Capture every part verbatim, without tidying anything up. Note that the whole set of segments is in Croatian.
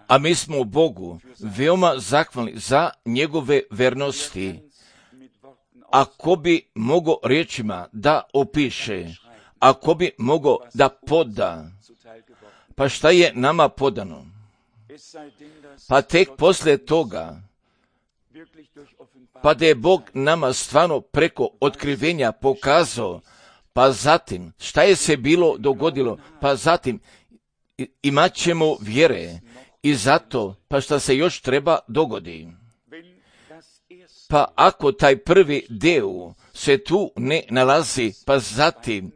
A mi smo Bogu veoma zahvalni za njegove vernosti. Ako bi mogao riječima da opiše, ako bi mogao da poda, pa šta je nama podano? Pa tek poslije toga, pa da je Bog nama stvarno preko otkrivenja pokazao, pa zatim šta je se bilo dogodilo, pa zatim imat ćemo vjere i zato pa šta se još treba dogodi. Pa ako taj prvi dio se tu ne nalazi, pa zatim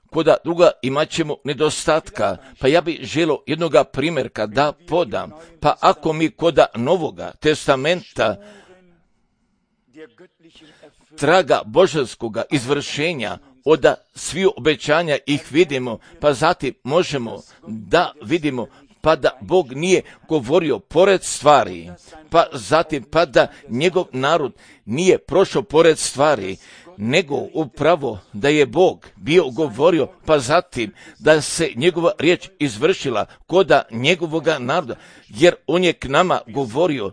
koda druga imat ćemo nedostatka, pa ja bih želio jednoga primjerka da podam, pa ako mi koda Novoga testamenta traga božanskoga izvršenja od svih obećanja ih vidimo, pa zatim možemo da vidimo pa da Bog nije govorio pored stvari, pa zatim pa da njegov narod nije prošao pored stvari, nego upravo da je Bog bio govorio, pa zatim da se njegova riječ izvršila koda njegovoga naroda, jer on je k nama govorio,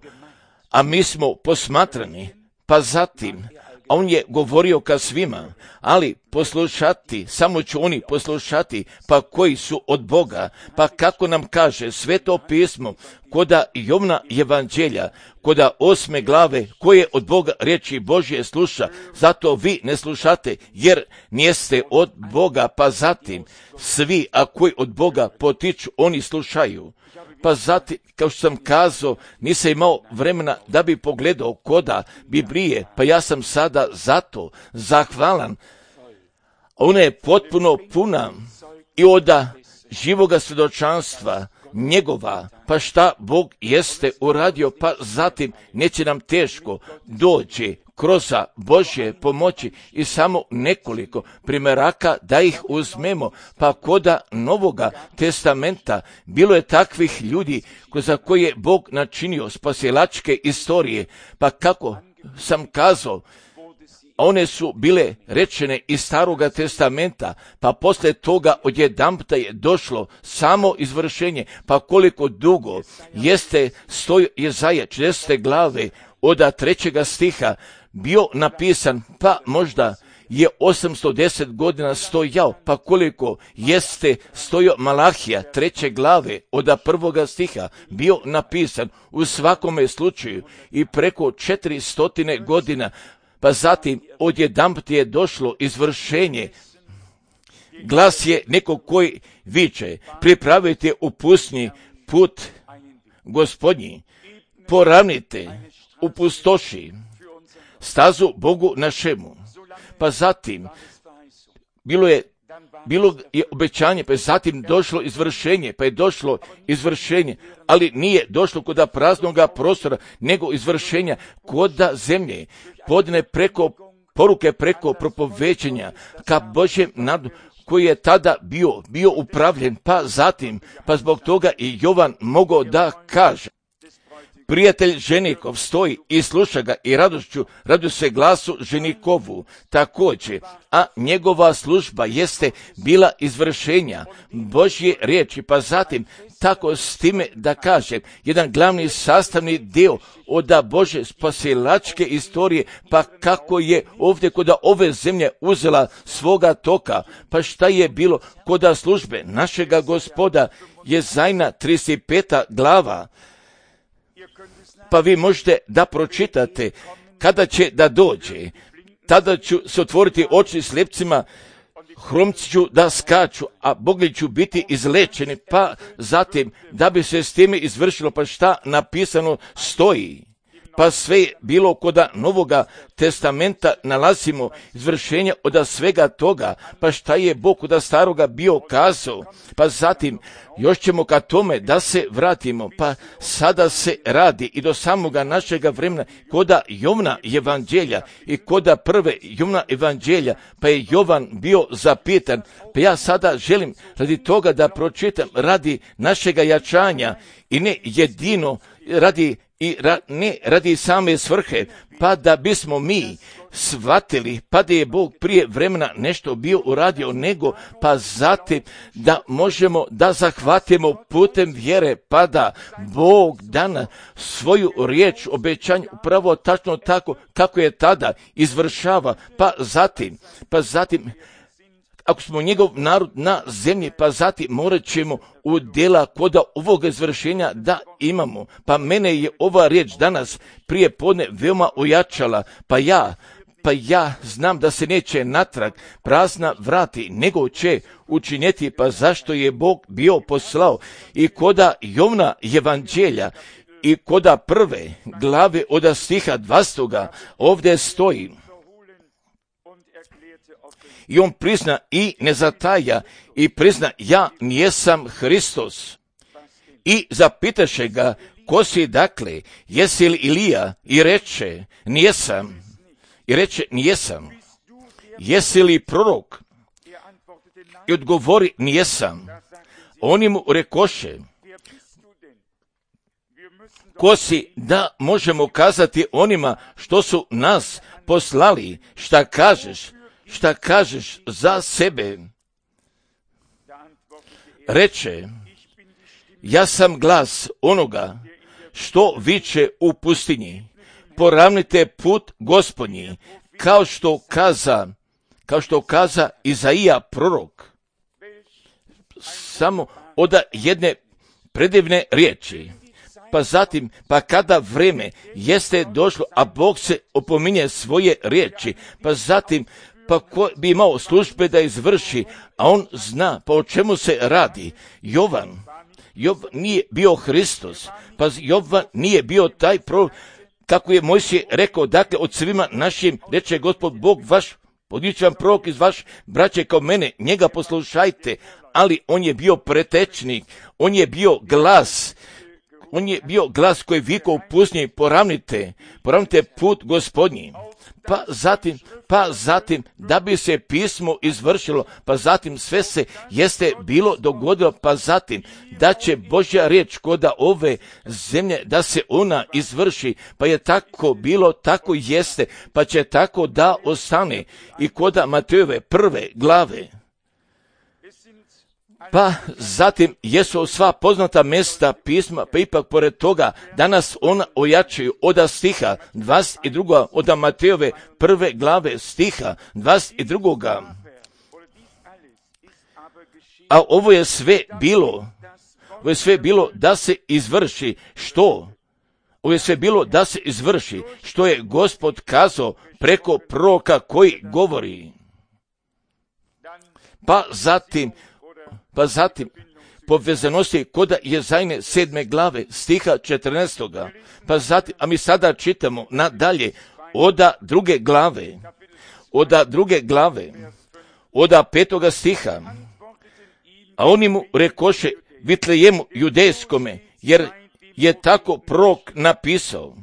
a mi smo posmatrani, pa zatim a on je govorio ka svima, ali poslušati, samo će oni poslušati, pa koji su od Boga, pa kako nam kaže Sveto pismo, koda Jovna evanđelja, koda osme glave, koje od Boga riječi Božje sluša, zato vi ne slušate, jer nijeste od Boga, pa zatim svi, a koji od Boga potiču, oni slušaju. Pa zatim, kao što sam kazao, nisam imao vremena da bi pogledao koda Biblije, pa ja sam sada zato zahvalan. Ona je potpuno puna i od živoga svjedočanstva njegova, pa šta Bog jeste uradio, pa zatim neće nam teško doći kroz Božje pomoći i samo nekoliko primjeraka da ih uzmemo, pa koda Novoga testamenta bilo je takvih ljudi za koje je Bog načinio spasilačke istorije, pa kako sam kazao, one su bile rečene iz Staroga testamenta, pa poslije toga odjedanputa je došlo samo izvršenje, pa koliko dugo jeste stoji Jezaja četrdesete glave od trećega stiha bio napisan, pa možda je osamsto deset godina stojao, pa koliko jeste stojao Malahija treće glave od prvoga stiha bio napisan u svakome slučaju i preko četiri stotine godina, pa zatim odjedanput je došlo izvršenje. Glas je nekog koji viče, pripravite u pustinji put Gospodnji, poravnite u pustoši stazu Bogu našemu. Pa zatim bilo je bilo je obećanje, pa je zatim došlo izvršenje, pa je došlo izvršenje, ali nije došlo koda praznoga prostora, nego izvršenja koda zemlje, podne preko poruke, preko propoveđenja ka Božjem narodu koji je tada bio, bio upravljen, pa zatim, pa zbog toga i Jovan mogao da kaže, prijatelj ženikov stoji i sluša ga i radošću radu se glasu ženikovu također, a njegova služba jeste bila izvršenja Božje riječi, pa zatim tako s time da kažem, jedan glavni sastavni dio od Bože spasilačke istorije, pa kako je ovdje koda ove zemlje uzela svoga toka, pa šta je bilo koda službe našega Gospoda, Jezajna trideset peta glava, pa vi možete da pročitate kada će da dođe, tada ću se otvoriti oči slijepcima, hromci ću da skaču, a bogli ću biti izlečeni, pa zatim da bi se s time izvršilo, pa šta napisano stoji. Pa sve je bilo koda Novoga testamenta nalazimo izvršenje od svega toga, pa šta je Bog koda Staroga bio kazao, pa zatim još ćemo ka tome da se vratimo, pa sada se radi i do samoga našega vremena koda Jovna evanđelja i koda prve Jovna evanđelja, pa je Jovan bio zapitan, pa ja sada želim radi toga da pročitam radi našega jačanja i ne jedino radi i ra, ne radi same svrhe, pa da bismo mi shvatili, pa da je Bog prije vremena nešto bio uradio, nego pa zatim da možemo da zahvatimo putem vjere, pa da Bog dana svoju riječ, obećanje upravo tačno tako kako je tada izvršava, pa zatim, pa zatim ako smo njegov narod na zemlji, pa zatim morat ćemo u djela koda ovog izvršenja da imamo. Pa mene je ova riječ danas prije podne veoma ojačala, pa ja, pa ja znam da se neće natrag prazna vrati, nego će učiniti, pa zašto je Bog bio poslao i koda Jovna evanđelja i koda prve glave od stiha dvastoga ovdje stoji. I on prizna i ne zataja i prizna, ja nijesam Hristos. I zapitaše ga, ko si dakle, jesi li Ilija? I reče, nijesam. I reče, nijesam. Jesi li prorok? I odgovori, nijesam. Oni mu rekoše, ko si da možemo kazati onima što su nas poslali, šta kažeš? Šta kažeš za sebe? Reče, ja sam glas onoga što viče u pustinji, poravnite put Gospodnji, kao što kaza, kao što kaza Izaija prorok. Samo od jedne predivne riječi. Pa zatim, pa kada vreme jeste došlo, a Bog se opominje svoje riječi, pa zatim, pa ko bi imao službe da izvrši, a on zna pa o čemu se radi. Jovan, Jovan nije bio Hristos, pa Jovan nije bio taj prorok, kako je Mojsije rekao, dakle od svima našim, reče Gospod Bog vaš, podićan prorok iz vaš braće kao mene, njega poslušajte, ali on je bio pretečnik, on je bio glas, on je bio glas koji vikao u pustinji, poravnite, poravnite put Gospodnji. Pa zatim, pa zatim, da bi se pismo izvršilo, pa zatim sve se jeste bilo dogodilo, pa zatim, da će Božja riječ koda ove zemlje, da se ona izvrši, pa je tako bilo, tako jeste, pa će tako da ostane i koda Matejove prve glave. Pa zatim jesu sva poznata mjesta pisma, pa ipak pored toga danas ona ojačaju od stiha dvadeset dva od Matejove prve glave stiha dvadeset dva. A ovo je sve bilo, ovo je sve bilo da se izvrši što? Ovo je sve bilo da se izvrši što je Gospod kazao preko proroka koji govori. Pa zatim Pa zatim, povezanosti koda Jezajne sedme glave, stiha četrnaestoga. Pa zatim, a mi sada čitamo nadalje, oda druge glave, oda druge glave, oda petoga stiha. A oni mu rekoše, Vitlejemu judejskome, jer je tako prorok napisao.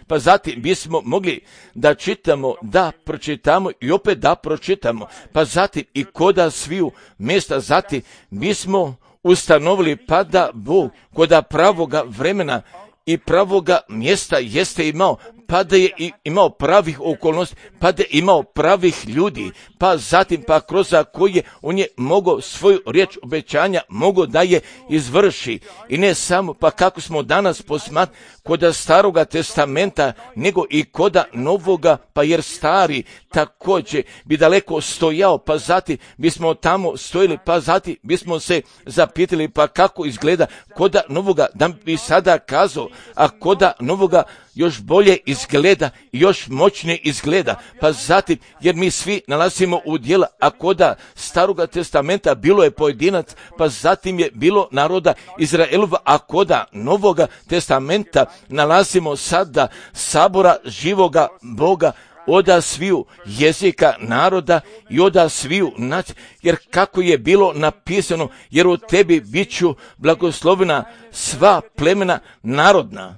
Pa zatim bismo mogli da čitamo, da pročitamo i opet da pročitamo. Pa zatim i koda sviju mjesta, zatim bismo ustanovili pa da Bog koda pravoga vremena i pravoga mjesta jeste imao, pa da je imao pravih okolnosti, pa da je imao pravih ljudi, pa zatim pa kroz koje on je mogao svoju riječ obećanja, mogao da je izvrši. I ne samo, pa kako smo danas posmatrali koda staroga testamenta, nego i koda novoga, pa jer stari također bi daleko stojao, pa zatim bismo tamo stojili, pa zatim bismo se zapitali, pa kako izgleda koda novoga, da bi sada kazao, a koda novoga još bolje izgleda, još moćnije izgleda, pa zatim, jer mi svi nalazimo u djela, a koda staroga testamenta bilo je pojedinac, pa zatim je bilo naroda Izraelova, a koda novoga testamenta nalazimo sada sabora živoga Boga, oda sviju jezika naroda i oda sviju nacija, jer kako je bilo napisano, jer u tebi bit ću blagoslovena sva plemena narodna.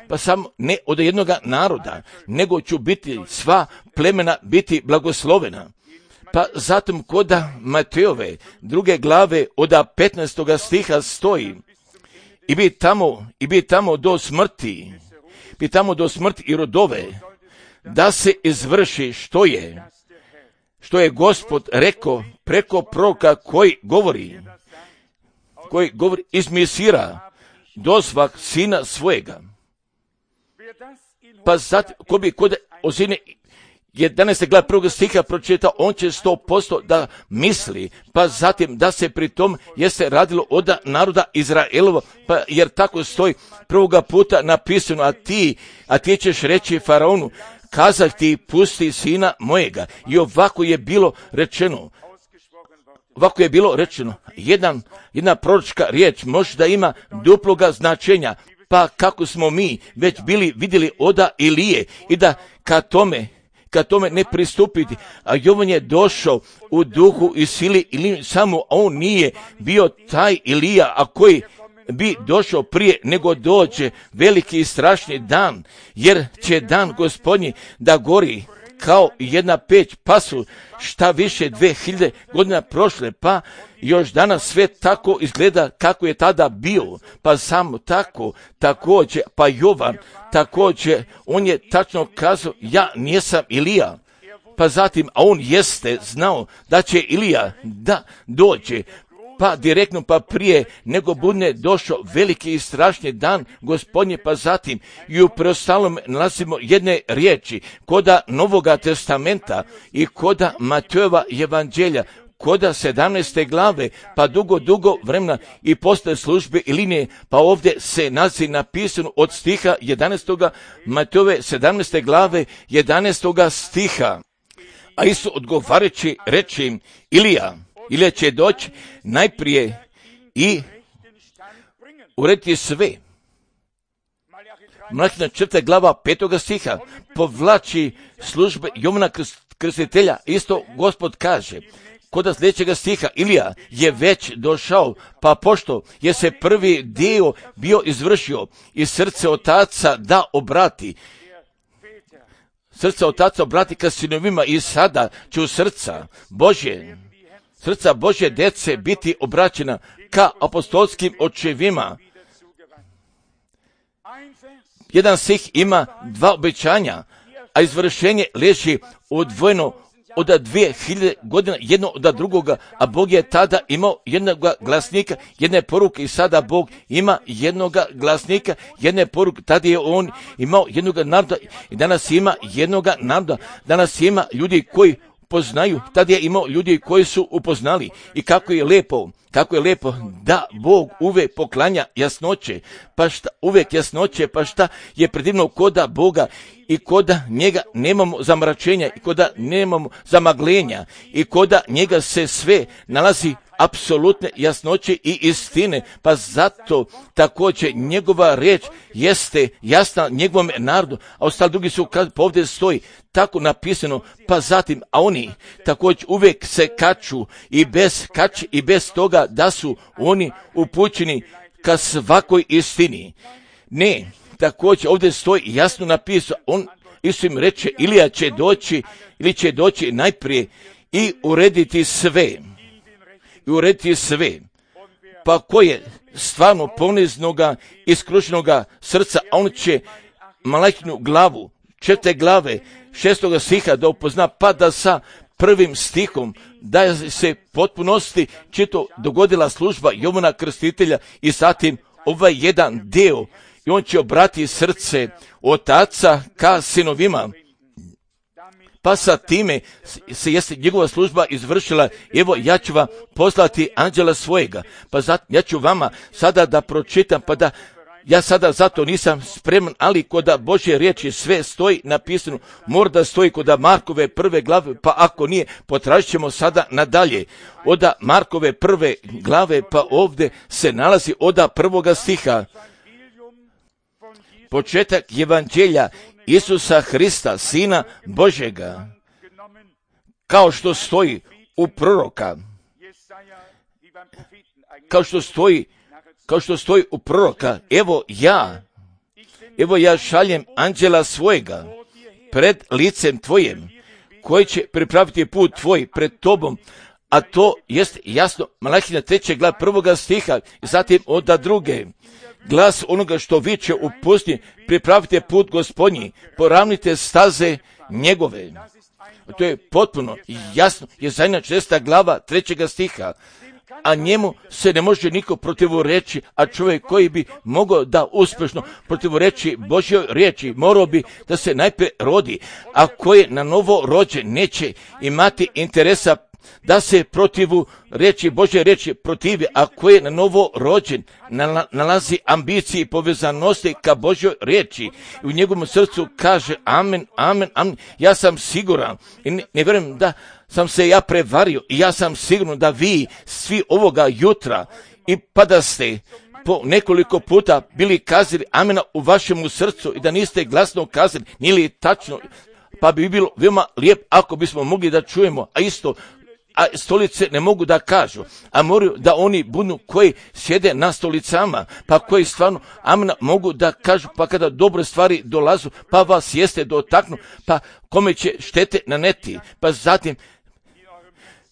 Pa samo ne od jednoga naroda, nego ću biti sva plemena biti blagoslovena. Pa zatim koda Matejove druge glave od petnaestoga stiha stoji, i bi tamo, i bi tamo do smrti, bi tamo do smrti i rodove, da se izvrši što je, što je Gospod rekao preko proroka koji govori, koji govori iz Mesira, dozvak sina svojega. Pa zato, ko bi kod Ozine jedanaeste glave prvog stiha pročitao, on će sto posto da misli, pa zatim da se pri tom jeste radilo od naroda Izraelova, pa jer tako stoji prvoga puta napisano, a ti, a ti ćeš reći faraonu, kazah ti pusti sina mojega. I ovako je bilo rečeno, ovako je bilo rečeno, jedan, jedna proročka riječ može da ima duploga značenja, pa kako smo mi već bili vidjeli oda Ilije i da ka tome, ka tome ne pristupiti, a Jovan je došao u duhu i sili, ili samo on nije bio taj Ilija, a koji bi došao prije nego dođe veliki i strašni dan, jer će dan Gospodnji da gori kao jedna peć, pa su šta više dve hiljade godina prošle, pa još danas sve tako izgleda kako je tada bio, pa samo tako, također, pa Jovan, također, on je tačno kazao, ja nisam Ilija, pa zatim, a on jeste znao da će Ilija da dođe, pa direktno, pa prije nego bude došao veliki i strašni dan Gospodnje, pa zatim i u preostalom nalazimo jedne riječi koda Novoga testamenta i koda Matejova evanđelja, koda sedamnaeste glave, pa dugo, dugo vremena i posle službe i linije, pa ovdje se nalazi napisano od stiha jedanaestoga Matejove sedamnaeste glave jedanaestoga stiha. A Isus odgovarajući reći im, Ilija, Ilija će doći najprije i urediti sve. Malahija četvrta glava petoga stiha povlači službe Jovana Krstitelja, isto Gospod kaže. Kod sljedećega stiha, Ilija je već došao, pa pošto je se prvi dio bio izvršio i srce otaca da obrati, srce otaca obrati ka sinovima i sada će u srca Božje, srca Božje djece biti obraćena ka apostolskim očevima. Jedan stih ima dva obećanja, a izvršenje leži odvojeno od dvije hiljade godina jedno od drugoga, a Bog je tada imao jednog glasnika, jedne poruke i sada Bog ima jednog glasnika, jedne poruke, tada je on imao jednog naroda i danas ima jednog naroda, danas ima ljudi koji poznaju, tada je imao ljudi koji su upoznali i kako je lepo, kako je lepo da Bog uvek poklanja jasnoće, pa šta, uvek jasnoće, pa šta je predivno koda Boga i koda njega nemamo zamračenja i koda nemamo zamaglenja i koda njega se sve nalazi apsolutne jasnoće i istine, pa zato također njegova riječ jeste jasna njegovom narodu, a ostali drugi su, kad ovdje stoji tako napisano, pa zatim, a oni također uvijek se kaču i bez kači i bez toga da su oni upućeni ka svakoj istini. Ne, također ovdje stoji jasno napisano, on Isus im reče, Ilija će doći ili će doći najprije i urediti sve. I urediti sve. Pa ko je stvarno poniznoga i skrušenoga srca, a on će Malahinu glavu, četvrte glave, šestoga stiha da upozna, pa da sa prvim stihom da se potpunosti čito dogodila služba Jovana Krstitelja i zatim ovaj jedan dio i on će obrati srce otaca ka sinovima. Pa sa time se jeste njegova služba izvršila, evo ja ću vam poslati anđela svojega, pa zato ja ću vama sada da pročitam, pa da ja sada zato nisam spreman, ali koda Božje riječi sve stoji napisano, mora da stoji koda Markove prve glave, pa ako nije, potražit ćemo sada nadalje. Oda Markove prve glave, pa ovdje se nalazi oda prvoga stiha. Početak evanđelja Isusa Hrista, Sina Božjega, kao što stoji u proroka, kao što stoji, kao što stoji u proroka, evo ja, evo ja šaljem anđela svojega pred licem tvojim, koji će pripraviti put tvoj pred tobom, a to jest jasno Malahija treće glava prvoga stiha i zatim od druge, glas onoga što viče u pustinji, pripravite put Gospodnji, poravnite staze njegove. To je potpuno jasno, je Izaja šesta glava trećega stiha, a njemu se ne može niko protivureći, a čovjek koji bi mogao da uspješno protivureći Božjoj riječi, morao bi da se najprije rodi, a koji na novo rođen neće imati interesa da se protivu riječi Božje riječi protivi, a koji je na novo rođen nalazi ambiciji i povezanosti ka Božjoj riječi i u njegovom srcu kaže amen, amen, amen. Ja sam siguran i ne, ne vjerujem da sam se ja prevario i ja sam siguran da vi svi ovoga jutra i pa da ste po nekoliko puta bili kazali amena u vašemu srcu i da niste glasno kazali, nije li tačno, pa bi bilo veoma lijep ako bismo mogli da čujemo, a isto a stolice ne mogu da kažu, a moraju da oni budu koji sjede na stolicama, pa koji stvarno amena mogu da kažu, pa kada dobre stvari dolazu, pa vas jeste dotaknu, pa kome će štete naneti, pa zatim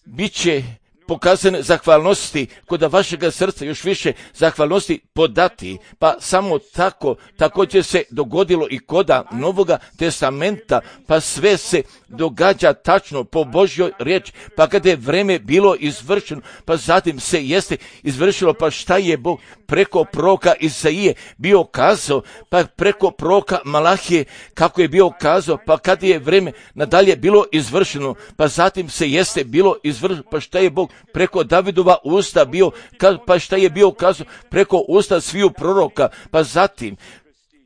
bit će pokazane zahvalnosti kod vašega srca još više zahvalnosti podati, pa samo tako također se dogodilo i koda Novoga testamenta, pa sve se događa tačno po Božjoj riječi, pa kada je vreme bilo izvršeno, pa zatim se jeste izvršilo, pa šta je Bog preko proroka Izaije bio kazao, pa preko proroka Malahije kako je bio kazao, pa kada je vreme nadalje bilo izvršeno, pa zatim se jeste bilo izvršeno, pa šta je Bog preko Davidova usta bio, pa šta je bio kazao preko usta sviju proroka, pa zatim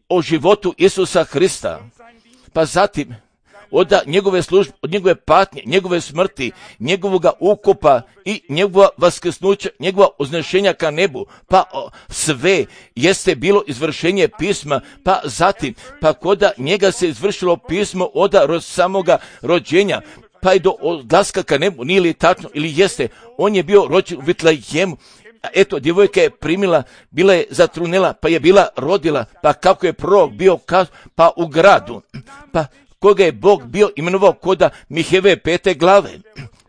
o životu Isusa Hrista, pa zatim od njegove službe, od njegove patnje, njegove smrti, njegovoga ukopa i njegova vaskrsnuća, njegova uznešenja ka nebu, pa o, sve jeste bilo izvršenje pisma, pa zatim, pa koda njega se izvršilo pismo od samoga rođenja, pa i do odlaska ka nebu, nije li tačno ili jeste, on je bio rođen u Vitlejemu. Eto, djevojka je primila, bila je zatrunela, pa je bila rodila, pa kako je prorok bio kazao, pa u gradu, pa koga je Bog bio imenovao koda Miheve pete glave,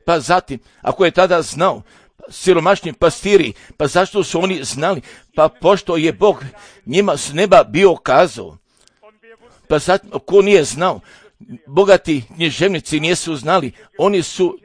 pa zatim, ako je tada znao, siromašni pastiri, pa zašto su oni znali, pa pošto je Bog njima s neba bio kazao, pa zatim, ko nije znao, bogati književnici nisu znali, oni su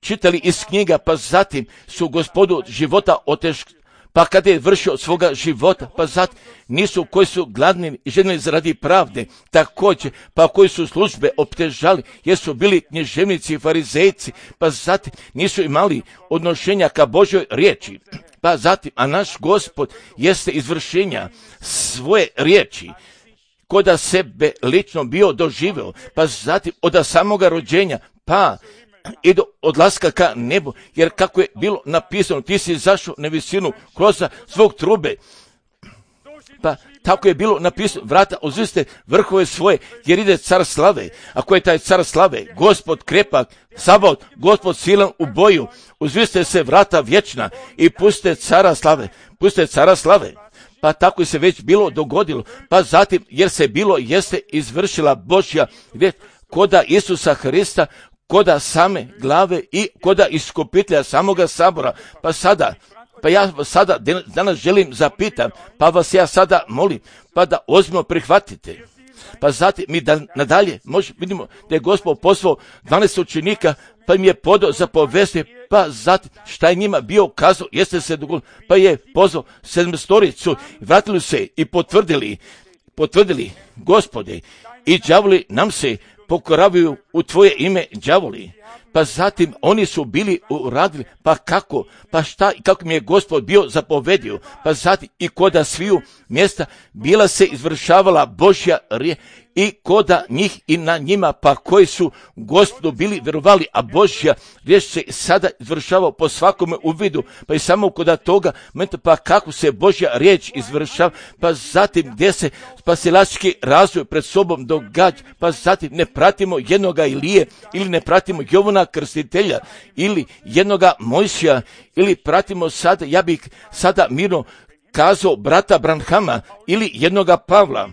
čitali iz knjiga, pa zatim su gospodu života oteškali, pa kada je vršio svoga života, pa zatim nisu koji su gladni i željeli zaradi pravde, također, pa koji su službe optežali, jer su bili književnici i farizejci, pa zatim nisu imali odnošenja ka Božoj riječi, pa zatim, a naš Gospod jeste izvršenja svoje riječi, koda sebe lično bio doživeo, pa zatim od samoga rođenja, pa i do odlaska ka nebu, jer kako je bilo napisano, ti si izašao na visinu kroz svog trube, pa tako je bilo napisano, vrata uzviste vrhove svoje, jer ide car slave, a ko je taj car slave? Gospod krepak, Sabaot, Gospod silan u boju, uzviste se vrata vječna i puste cara slave, puste cara slave. Pa tako se već bilo dogodilo, pa zatim, jer se bilo jeste izvršila Božja već koda Isusa Hrista, koda same glave i koda iskupitelja samoga sabora, pa sada, pa ja sada danas želim zapitam, pa vas ja sada molim, pa da ozbiljno prihvatite. Pa zatim mi da nadalje možemo vidimo da je Gospod poslao dvanaest učenika, pa im je podao za povesti, pa zatim šta je njima bio kazao, jeste se dogodilo, pa je pozvao sedmstoricu, vratili se i potvrdili, potvrdili, Gospode, i đavoli nam se pokoravaju u tvoje ime, đavoli. Pa zatim oni su bili uradili, pa kako, pa šta i kako mi je Gospod bio zapovedio, pa zatim i koda sviju mjesta bila se izvršavala Božja riječ i koda njih i na njima, pa koji su Gospodu bili vjerovali, a Božja riječ se sada izvršava po svakome uvidu, pa i samo koda toga, pa kako se Božja riječ izvršava, pa zatim gdje se spasilački razvoj pred sobom događa, pa zatim ne pratimo jednoga Ilije ili ne pratimo Jovana Krstitelja ili jednoga Mojsija ili pratimo sada, ja bih sada mirno kazao brata Branhama ili jednoga Pavla,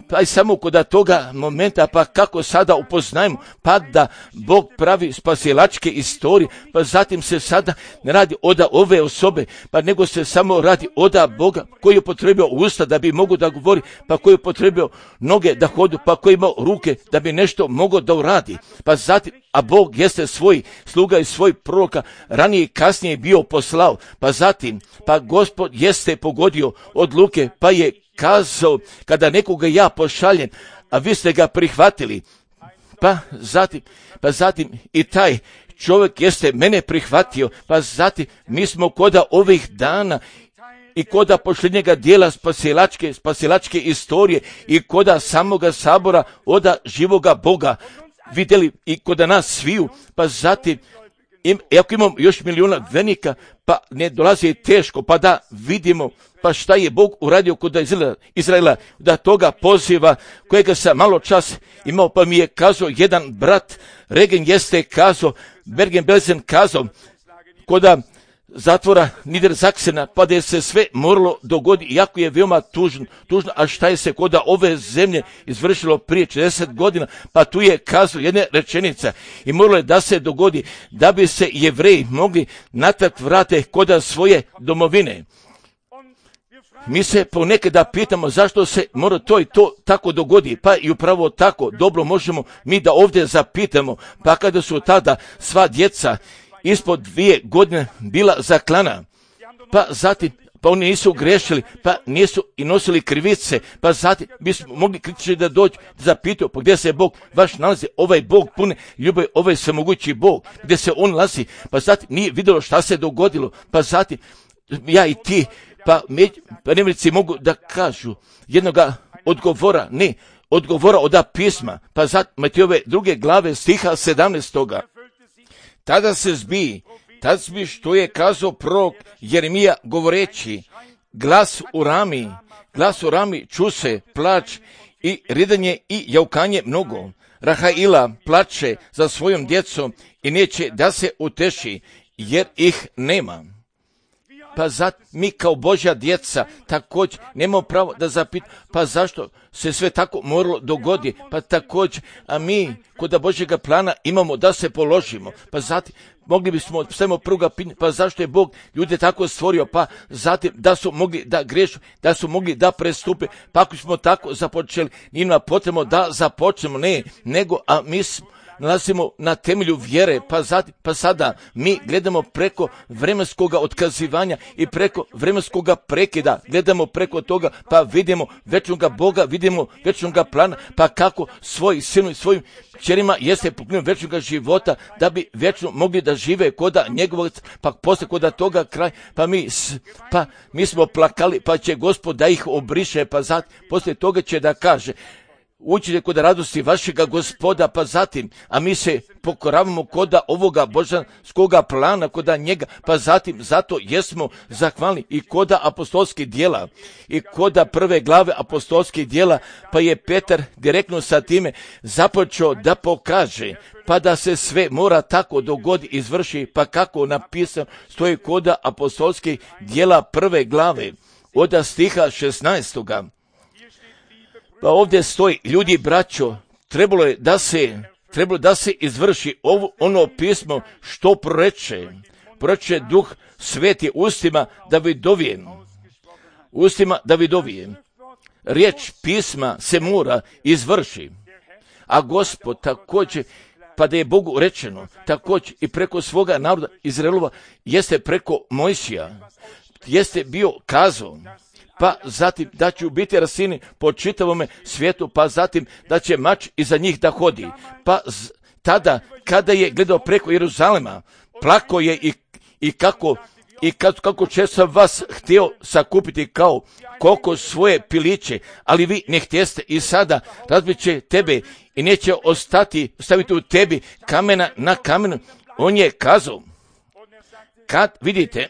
pa i samo kod toga momenta, pa kako sada upoznajemo, pa da Bog pravi spasilačke istorije, pa zatim se sada ne radi oda ove osobe, pa nego se samo radi oda Boga koji je potrebio usta da bi mogu da govori, pa koji je potrebio noge da hodu, pa koji imao ruke da bi nešto mogo da uradi, pa zatim, a Bog jeste svoj sluga i svoj proroka ranije i kasnije bio poslao, pa zatim, pa Gospod jeste pogodio odluke, pa je kazao, kada nekoga ja pošaljem, a vi ste ga prihvatili, pa zatim, pa zatim i taj čovjek jeste mene prihvatio, pa zatim mi smo koda ovih dana i koda posljednjega dijela spasilačke, spasilačke istorije i koda samoga sabora oda živoga Boga vidjeli i koda nas sviju, pa zatim im, ako imamo još milijuna vernika, pa ne dolazi teško, pa da vidimo pa šta je Bog uradio kod Izraela, Izraela, da toga poziva kojega sam malo čas imao, pa mi je kazao jedan brat, Regen jeste kazao, Bergen-Belsen kazao, koda zatvora Niedersachsena, pa da je se sve moralo dogoditi, iako je veoma tužno, tužno, a šta je se koda ove zemlje izvršilo prije četrdeset godina, pa tu je kazao jedna rečenica i moralo je da se dogodi, da bi se Jevreji mogli natrag vrate koda svoje domovine. Mi se ponekada pitamo zašto se mora to i to tako dogodi, pa i upravo tako dobro možemo mi da ovdje zapitamo, pa kada su tada sva djeca ispod dvije godine bila zaklana, pa zatim, pa oni nisu grešili, pa nisu i nosili krivice, pa zatim bismo mogli kritični da dođu, da zapitaju, pa gdje se Bog vaš nalazi, ovaj Bog pune ljubavi, ovaj svemogući Bog, gdje se on nalazi, pa zatim nije vidjelo šta se dogodilo, pa zatim ja i ti, pa, među, pa nemrici mogu da kažu jednoga odgovora, ne, odgovora od pisma, pa zatim Matejove druge glave stiha sedamnaestoga. Tada se zbi, tada zbi što je kazao prorok Jeremija govoreći, glas u rami, glas u rami ču se, plač i ridanje i jaukanje mnogo. Rahaila plače za svojom djecom i neće da se uteši, jer ih nema. Pa zato mi kao Božja djeca također nemamo pravo da zapitamo, pa zašto se sve tako moralo dogodi, pa također, a mi kod Božjega plana imamo da se položimo, pa zatim mogli bismo samo prvoga pitanja, pa zašto je Bog ljude tako stvorio, pa zatim da su mogli da grešu, da su mogli da prestupe, pa ako smo tako započeli, njima potrebno da započnemo, ne, nego, a mi smo nalazimo na temelju vjere, pa, zatim, pa sada mi gledamo preko vremenskog otkazivanja i preko vremenskog prekida, gledamo preko toga, pa vidimo večnog Boga, vidimo večnog plana, pa kako svoj sinu i svojim kćerima jeste pokrenuo večnog života, da bi večno mogli da žive koda njegovog, pa posle koda toga kraj, pa mi, pa mi smo plakali, pa će Gospod da ih obriše, pa zatim posle toga će da kaže, učite kod radosti vašega Gospoda, pa zatim, a mi se pokoravamo koda ovoga božanskoga plana, koda njega, pa zatim, zato jesmo zahvalni i koda apostolskih djela, i koda prve glave apostolskih djela, pa je Petar direktno sa time započeo da pokaže, pa da se sve mora tako dogodi, izvrši, pa kako napisano stoji koda apostolskih djela prve glave, od stiha šesnaestoga. Pa ovdje stoji, ljudi braćo, trebalo je da se, trebalo da se izvrši ovo, ono pismo što proreče, proreče Duh Sveti ustima Davidovije, ustima Davidovije. Riječ pisma se mora izvrši, a Gospod također, pa da je Bogu rečeno, također i preko svoga naroda Izraelova, jeste preko Mojsija, jeste bio kazao, pa zatim da će biti rasini po čitavome svijetu, pa zatim da će mač iza njih da hodi. Pa z, tada, kada je gledao preko Jeruzalema, plako je i, i kako i kad, kako će sam vas htio sakupiti kao koliko svoje piliće, ali vi ne htjeste i sada razbit će tebe i neće ostati, staviti u tebi kamena na kamenu. On je kazao, kad vidite,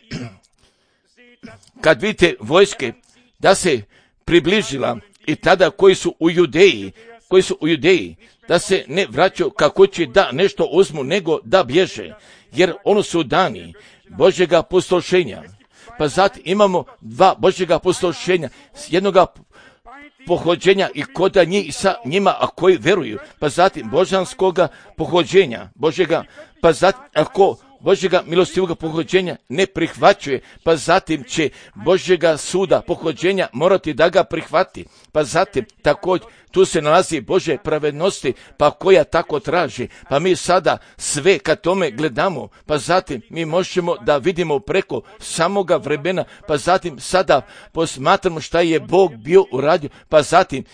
kad vidite vojske, da se približila i tada koji su u Judeji, koji su u Judeji, da se ne vraćaju kako će da nešto uzmu, nego da bježe, jer ono su dani Božjega pustošenja. Pa zatim imamo dva Božjega pustošenja, jednoga pohođenja i koda njih sa njima, a koji veruju, pa zatim božanskoga pohođenja, Božjega, pa zatim ako Božjega milostivoga pohođenja ne prihvaćuje, pa zatim će Božjega suda pohođenja morati da ga prihvati, pa zatim također tu se nalazi Božje pravednosti, pa koja tako traži, pa mi sada sve kad tome gledamo, pa zatim mi možemo da vidimo preko samoga vremena, pa zatim sada posmatramo šta je Bog bio uradio, pa zatim,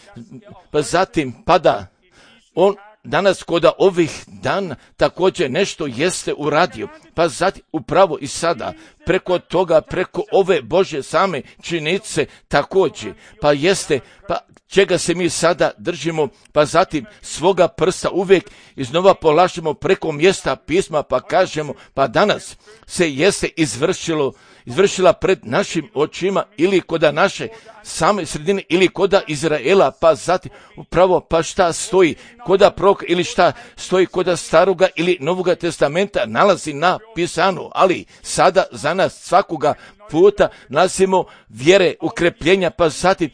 pa zatim pada on danas koda ovih dana također nešto jeste uradio, pa zatim upravo i sada preko toga, preko ove Božje same činjenice također, pa jeste, pa čega se mi sada držimo, pa zatim svoga prsta uvijek iznova polažemo preko mjesta pisma, pa kažemo, pa danas se jeste izvršilo, izvršila pred našim očima ili koda naše same sredine ili koda Izraela, pa zatim upravo pa šta stoji koda proroka ili šta stoji koda staroga ili novoga testamenta nalazi na pisanu, ali sada za nas svakoga puta nalazimo vjere, ukrepljenja, pa zatim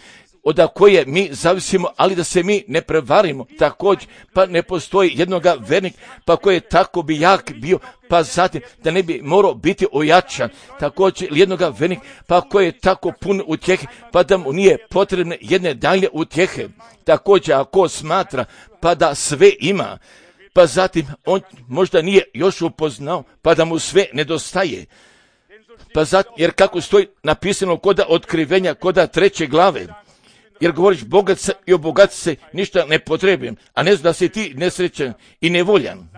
od koje mi zavisimo, ali da se mi ne prevarimo također, pa ne postoji jednoga vernik, pa koji je tako bi jak bio, pa zatim da ne bi morao biti ojačan, također jednoga vernik, pa koji je tako pun utjehe, pa da mu nije potrebne jedne dalje utjehe, također ako smatra, pa da sve ima, pa zatim on možda nije još upoznao, pa da mu sve nedostaje, pa zatim, jer kako stoji napisano koda otkrivenja, koda treće glave, jer govoriš bogat se i obogati se, ništa ne potrebujem, a ne znam da si ti nesrećan i nevoljan.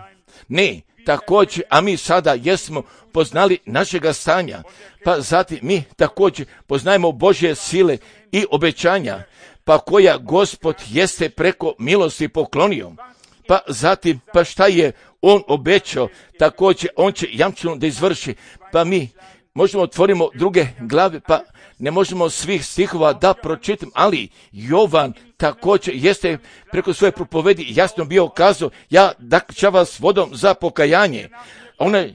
Ne, također, a mi sada jesmo poznali našega stanja, pa zatim mi također poznajemo Božje sile i obećanja, pa koja Gospod jeste preko milosti poklonio, pa zatim, pa šta je on obećao, također on će jamčeno da izvrši, pa mi možemo otvorimo druge glave, pa ne možemo svih stihova da pročitam, ali Jovan također jeste preko svoje propovedi jasno bio kazao, ja dakća vas vodom za pokajanje, onaj,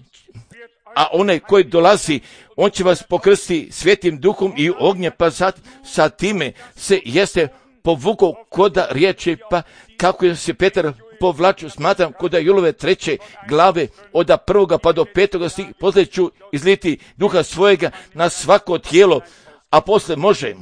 a onaj koji dolazi, on će vas pokrstiti Svetim duhom i ognjem, pa sad sa time se jeste povukao koda riječi, pa kako je se Petar povlačio, smatram koda Julove treće glave od prvoga pa do petoga stih, poslije ću izliti duha svojega na svako tijelo, a poslije može,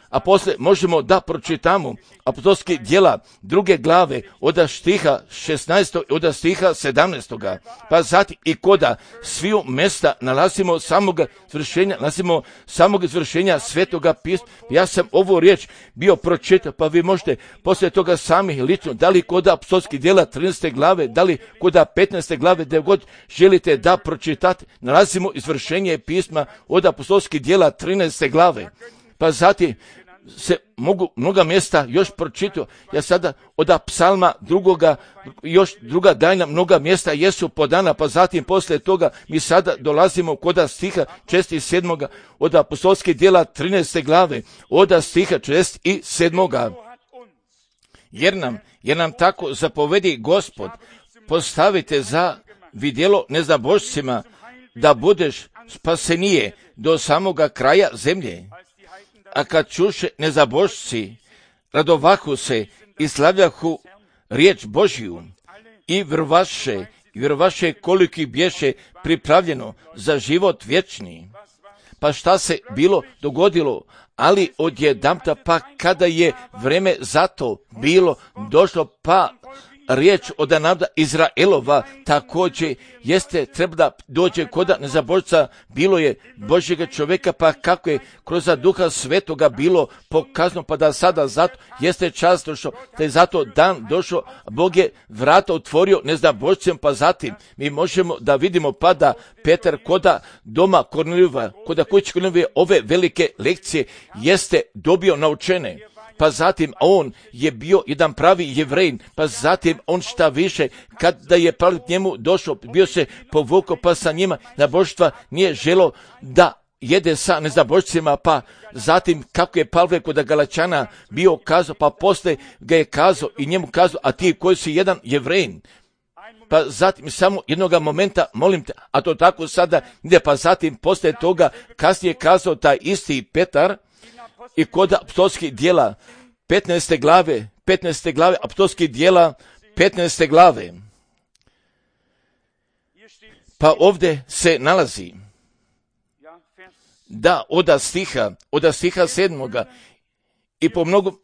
a poslije možemo da pročitamo apostolske djela druge glave od stiha šesnaestog od stiha sedamnaestog. Pa zatim i koda sviju mesta nalazimo samog izvršenja, nalazimo samog izvršenja Svetoga pisma. Ja sam ovu riječ bio pročitao, pa vi možete poslije toga sami lično, da li koda apostolske djela trinaeste glave, da li koda petnaeste glave, gdje god želite da pročitate, nalazimo izvršenje pisma od apostolske djela trinaeste glave. Pa zatim se mogu mnoga mjesta još pročitao. Ja sada od psalma drugoga, još druga daljna mnoga mjesta jesu podana, pa zatim poslije toga mi sada dolazimo kod stiha četrdeset sedmoga od apostolskih djela trinaeste glave, od stiha četrdeset sedmoga. Jer nam, jer nam tako zapovedi Gospod, postavite za vidjelo neznabošcima, da budeš spasenije do samoga kraja zemlje. A kad čuše nezabošci, radovahu se i slavljahu riječ Božju i vjerovaše, i vjerovaše koliki bješe pripravljeno za život vječni. Pa šta se bilo dogodilo, ali odjedanput pa kada je vreme za to bilo došlo, pa riječ od naroda Izraelova također jeste treba da dođe koda nezabožca, bilo je Božjega čovjeka, pa kako je kroz duha svetoga bilo pokazano, pa da sada zato jeste čas došao, da je zato dan došao, Bog je vrata otvorio nezabožcem, pa zatim mi možemo da vidimo pa da Petar koda doma Kornelijeva, koda kuće Kornelijeve ove velike lekcije jeste dobio naučene. Pa zatim on je bio jedan pravi Jevrejin, pa zatim on šta više, kada je Pavle k njemu došao, bio se povukao, pa sa njima nabožstva nije želo da jede sa nezabožcima, pa zatim kako je Pavle kod Galačana bio kazao, pa poslije ga je kazao i njemu kazao, a ti koji si jedan Jevrejin, pa zatim samo jednoga momenta, molim te, a to tako sada ide, pa zatim poslije toga kasnije kazao taj isti Petar, i kod apostolskih djela petnaeste glave, petnaeste glave apostolskih djela, petnaeste glave. Pa ovdje se nalazi da oda stiha, oda stiha sedmoga i po mnogom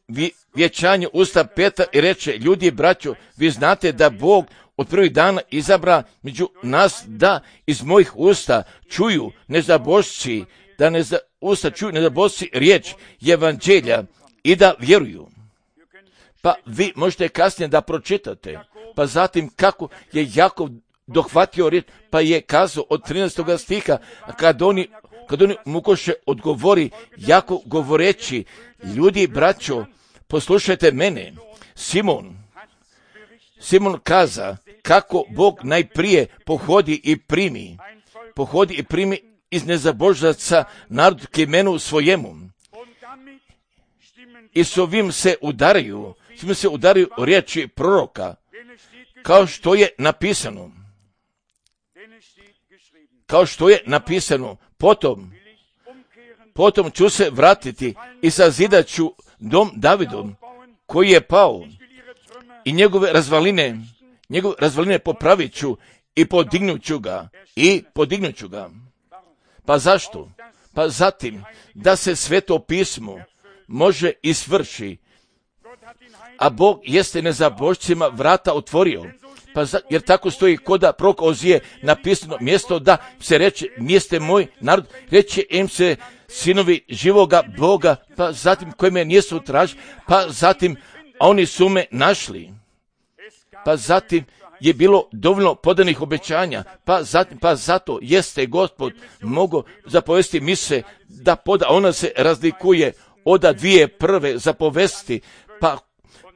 vječanju usta Petra i reče, ljudi, braćo, vi znate da Bog od prvih dana izabra među nas da iz mojih usta čuju nezabošci, da ne za, usta čuju nezabošci riječ evanđelja i da vjeruju. Pa vi možete kasnije da pročitate, pa zatim kako je Jakov dohvatio riječ, pa je kazao od trinaestoga stiha, kad oni, kad oni mukoše odgovori, Jakov govoreći, ljudi, braćo, poslušajte mene. Simon, Simon kaza kako Bog najprije pohodi i primi, pohodi i primi iz nezabožaca narod k imenu svojemu. I s ovim se udaraju, s ovim se udaraju riječi proroka, kao što je napisano. Kao što je napisano, potom, potom ću se vratiti i sazidat ću dom Davidom, koji je pao, i njegove razvaline, njegove razvaline popravit ću i podignut ću ga, i podignut ću ga. Pa zašto? Pa zatim, da se Sveto pismo može i svrši, a Bog jeste nezabožcima vrata otvorio. Pa za, jer tako stoji koda prorok Ozije napisano mjesto da se reče, mjeste moj narod, reče im se sinovi živoga Boga, pa zatim koji me nisu tražili, pa zatim a oni su me našli. Pa zatim je bilo dovoljno podanih obećanja, pa, zatim, pa zato jeste Gospod mogo zapovesti mise da poda, ona se razlikuje od dvije prve zapovesti, pa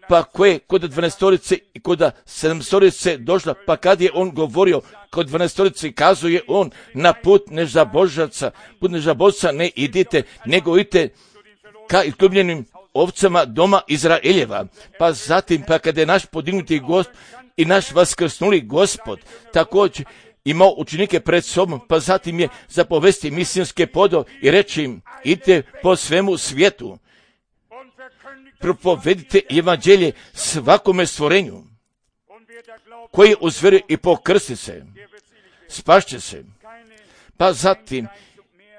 pa koje kod dvanaestorice i kod sedamstorice došla, pa kad je on govorio kod dvanaestorice, kazuje on na put nezabožaca, put nezabožaca ne idite, nego idite ka izgubljenim ovcama doma Izraeljeva. Pa zatim, pa kada je naš podignuti Gospod i naš vaskrsnuli Gospod također imao učenike pred sobom, pa zatim je zapovesti misionske podo i reći im, idite po svemu svijetu, propovedite evanđelje svakome stvorenju, koji uzvjeruje i pokrsti se, spašće se. Pa zatim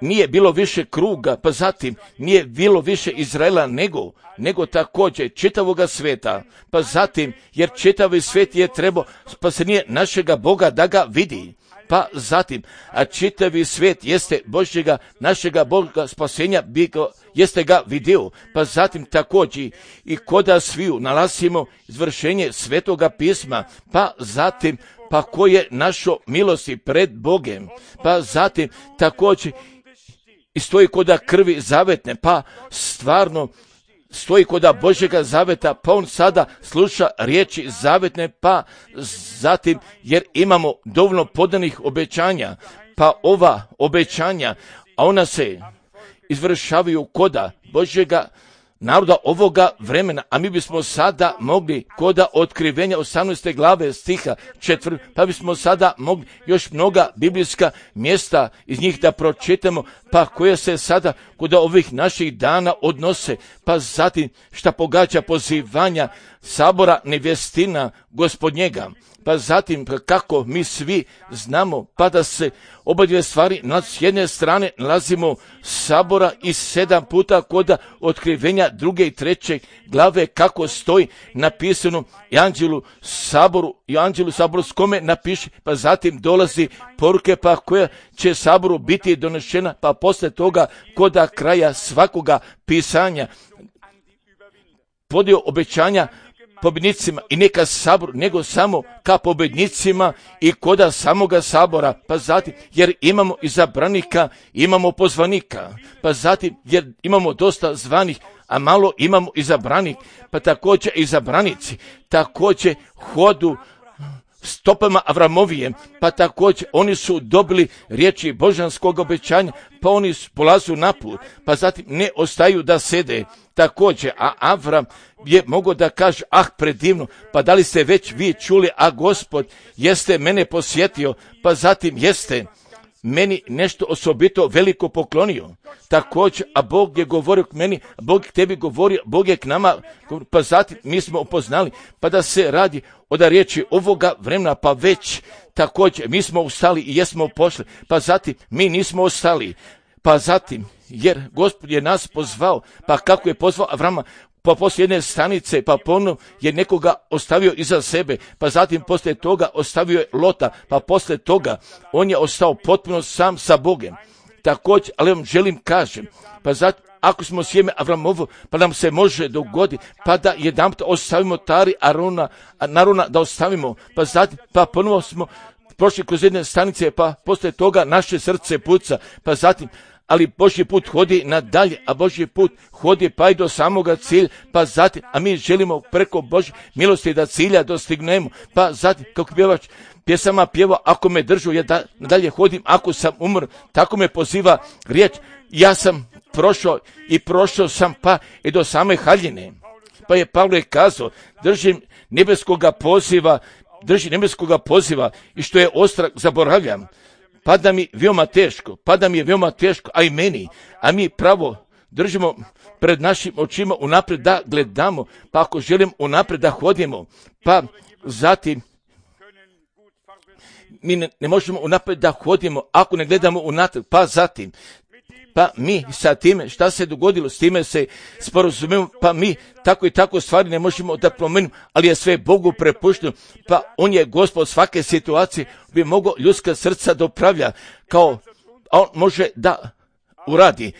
nije bilo više kruga, pa zatim nije bilo više Izraela nego, nego također čitavoga sveta, pa zatim, jer čitavi svijet je trebao spasenje našega Boga da ga vidi. Pa zatim, a čitavi svijet jeste Božjega, našega Boga spasenja, bi ga, jeste ga vidio. Pa zatim također i koda sviju nalazimo izvršenje Svetoga pisma, pa zatim, pa ko je našo milosti pred Bogem, pa zatim također i stoji koda krvi zavetne, pa stvarno stoji koda Božjega zaveta, pa on sada sluša riječi zavetne, pa zatim, jer imamo dovoljno podanih obećanja, pa ova obećanja, a ona se izvršavaju koda Božjega naroda ovoga vremena, a mi bismo sada mogli koda otkrivenja osamnaeste glave stiha četvrt, pa bismo sada mogli još mnoga biblijska mjesta iz njih da pročitamo, pa koja se sada kod ovih naših dana odnose, pa zatim šta pogađa pozivanja sabora nevjestina Gospodnjega, pa zatim kako mi svi znamo, pa da se oba dvije stvari s jedne strane nalazimo sabora i sedam puta kod otkrivenja druge i treće glave kako stoji napisano i anđelu saboru, i anđelu saboru s kome napiše, pa zatim dolazi poruke pa koja će saboru biti donešena, pa posle toga kod kraja svakoga pisanja podio obećanja pobjednicima i neka sabor, nego samo ka pobjednicima i koda samoga sabora, pa zatim, jer imamo izabranika, imamo pozvanika, pa zatim, jer imamo dosta zvanih, a malo imamo izabranik, pa također izabranici, također hodu stopama Avramovijem, pa također oni su dobili riječi božanskog obećanja, pa oni polazu na put, pa zatim ne ostaju da sede. Također, a Avram je mogao da kaže, ah, predivno, pa da li ste već vi čuli, a Gospod jeste mene posjetio, pa zatim jeste, meni nešto osobito veliko poklonio. Također, a Bog je govorio k meni, Bog k tebi govorio, Bog je k nama, pa zatim mi smo upoznali, pa da se radi o da riječi ovoga vremena, pa već također mi smo ustali i jesmo pošli, pa zatim mi nismo ostali, pa zatim, jer Gospod je nas pozvao, pa kako je pozvao Avrama, pa poslije jedne stanice, pa ponovno je nekoga ostavio iza sebe, pa zatim poslije toga ostavio je Lota, pa poslije toga on je ostao potpuno sam sa Bogom. Također, ali vam želim kažem, pa zatim, ako smo sjeme Avramovo, pa nam se može dogoditi, pa da jedanput ostavimo tari Arona, Narona da ostavimo, pa zatim, pa ponovo smo prošli kroz jedne stanice, pa poslije toga naše srce puca, pa zatim, ali Božji put hodi nadalje, a Božji put hodi pa i do samoga cilja, pa zatim, a mi želimo preko Božje milosti da cilja dostignemo, pa zatim, kako pjevač pjesama pjeva, ako me držu, ja da nadalje hodim, ako sam umro, tako me poziva riječ, ja sam prošao i prošao sam pa i do same haljine. Pa je Pavle kazao, držim nebeskoga poziva, držim nebeskoga poziva i što je ostrah zaboravljam. Pada mi veoma teško, pada mi je veoma teško, a i meni, a mi pravo držimo pred našim očima unaprijed da gledamo, pa ako želim unaprijed da hodimo, pa zatim mi ne, ne možemo unaprijed da hodimo ako ne gledamo unatrag, pa zatim, pa mi sa time, šta se dogodilo, s time se sporazumemo, pa mi tako i tako stvari ne možemo da promenimo, ali je sve Bogu prepušteno, pa on je Gospod svake situacije, bi mogao ljudska srca da upravlja, kao on može da uradi,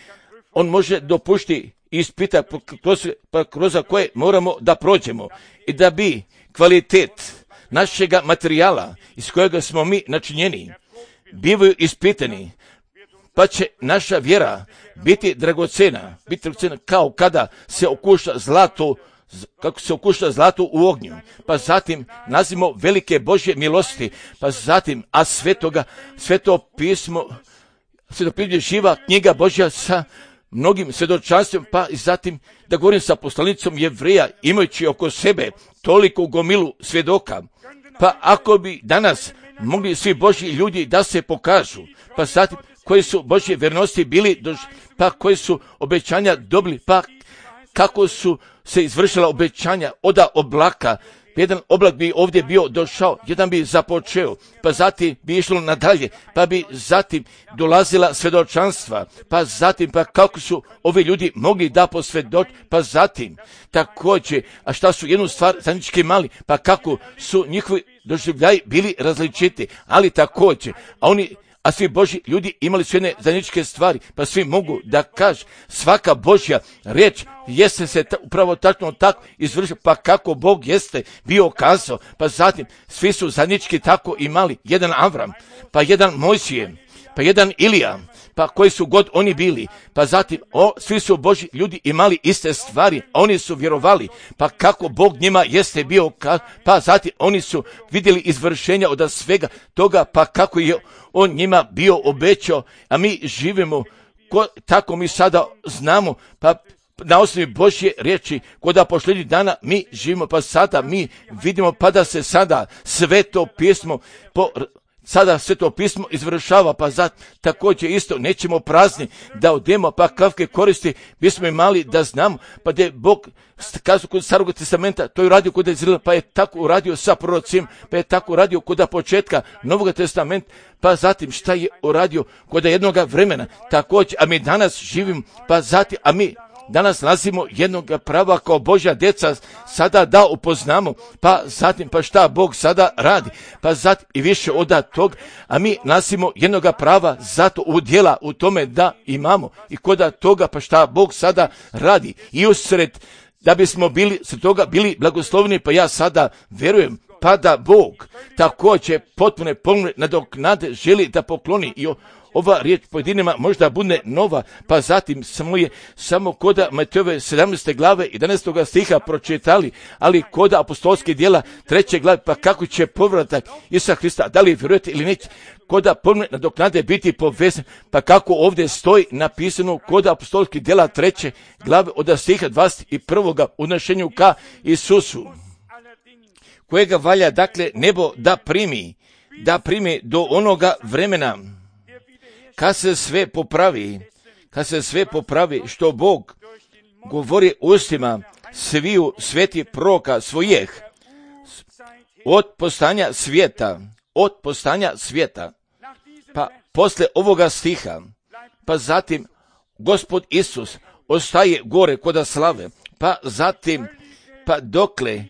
on može dopušti i ispita kroz, pa kroz koje moramo da prođemo i da bi kvalitet našega materijala iz kojega smo mi načinjeni bivaju ispitani, pa će naša vjera biti dragocena, biti dragocena kao kada se okuša zlato, kako se okuša zlato u ognju, pa zatim nazimo velike Božje milosti, pa zatim, a sve toga, sve to pismo, sve to pismo živa knjiga Božja sa mnogim svjedočanstvima, pa i zatim da govorim sa poslanicom Jevreja, imajući oko sebe toliko gomilu svjedoka, pa ako bi danas mogli svi Božji ljudi da se pokažu, pa zatim koji su Božje vjernosti bili, pa koji su obećanja dobili, pa kako su se izvršila obećanja oda oblaka. Jedan oblak bi ovdje bio došao, jedan bi započeo, pa zatim bi išlo nadalje, pa bi zatim dolazila svjedočanstva, pa zatim pa kako su ovi ljudi mogli da posvjedoči, pa zatim također, a šta su jednu stvar zajednički mali, pa kako su njihovi doživljaji bili različiti, ali također, a oni a svi Božji ljudi imali su jedne zajedničke stvari, pa svi mogu da kažu, svaka Božja riječ jeste se ta, upravo tačno tako izvršila, pa kako Bog jeste bio kazao, pa zatim svi su zajednički tako imali, jedan Avram, pa jedan Mojsije, pa jedan Ilija, pa koji su god oni bili, pa zatim o, svi su Božji ljudi imali iste stvari, a oni su vjerovali, pa kako Bog njima jeste bio, pa zatim oni su vidjeli izvršenja od svega toga, pa kako je on njima bio obećao, a mi živimo, ko, tako mi sada znamo, pa na osnovi Božje riječi, koda posljednjih dana mi živimo, pa sada mi vidimo, pa da se sada Sveto pismo po Sada sve to pismo izvršava, pa za također isto nećemo prazni da odemo, pa kakve koristi bismo imali da znamo, pa da je Bog kazao kod Starog testamenta, to je uradio kod Izraela, pa je tako uradio sa prorocima, pa je tako uradio kod početka Novog testamenta, pa zatim šta je uradio kod jednoga vremena, također, a mi danas živimo, pa zatim, a mi danas nalazimo jednog prava kao Božja djeca sada da upoznamo, pa zatim pa šta Bog sada radi, pa zatim i više od tog, a mi nalazimo jednog prava zato u djela u tome da imamo i kod toga pa šta Bog sada radi i usred da bismo bili se toga bili blagoslovni, pa ja sada vjerujem pa da Bog također potpune pomne nadoknade želi da pokloni i ova riječ pojedinima možda bude nova, pa zatim samo je samo koda Matejove sedamnaeste glave jedanaestog stiha pročitali, ali koda apostolske djela treće glave, pa kako će povratak Isusa Hrista, da li vjerujete ili neće, koda pomne nadoknade biti povezan, pa kako ovdje stoji napisano koda apostolske djela treće glave od stiha dvadeset prvog unošenju ka Isusu, kojega valja dakle nebo da primi, da primi do onoga vremena, kad se sve popravi, kad se sve popravi što Bog govori ustima sviju svetih proroka svojih od postanja svijeta, od postanja svijeta. Pa posle ovoga stiha, pa zatim Gospod Isus ostaje gore koda slave, pa zatim, pa dokle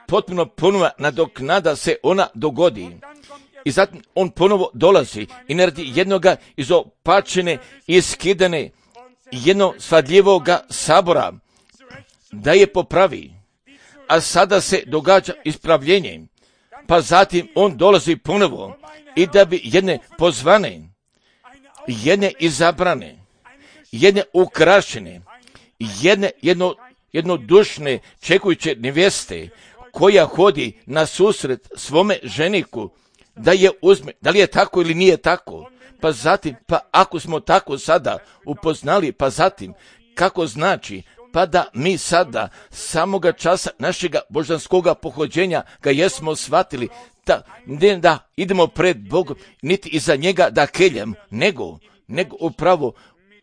potpuno ponovna nadoknada se ona dogodi. I zatim on ponovo dolazi i naredi jednoga izopačene i skidane jedno svadljivoga sabora da je popravi. A sada se događa ispravljenje, pa zatim on dolazi ponovo i da bi jedne pozvane, jedne izabrane, jedne ukrašene, jedne jedno, jednodušne čekujuće nevjeste koja hodi na susret svome ženiku, da je uzme, da li je tako ili nije tako, pa zatim, pa ako smo tako sada upoznali, pa zatim, kako znači, pa da mi sada samoga časa našega božanskoga pohođenja ga jesmo shvatili, da, ne da idemo pred Bogom, niti iza njega da keljem, nego, nego upravo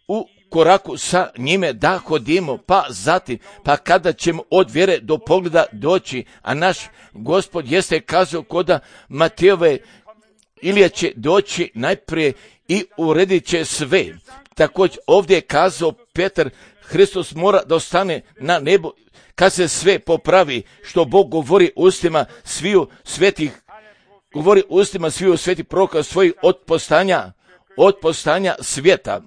u koraku sa njime da hodimo, pa zatim, pa kada ćemo od vjere do pogleda doći, a naš Gospod jeste kazao koda Matejove, Ilija će doći najprije i uredit će sve. Također ovdje je kazao Petar, Hristos mora da ostane na nebu kad se sve popravi, što Bog govori ustima sviju svetih, govori ustima sviju svetih proroka svojih od postanja, od postanja svijeta.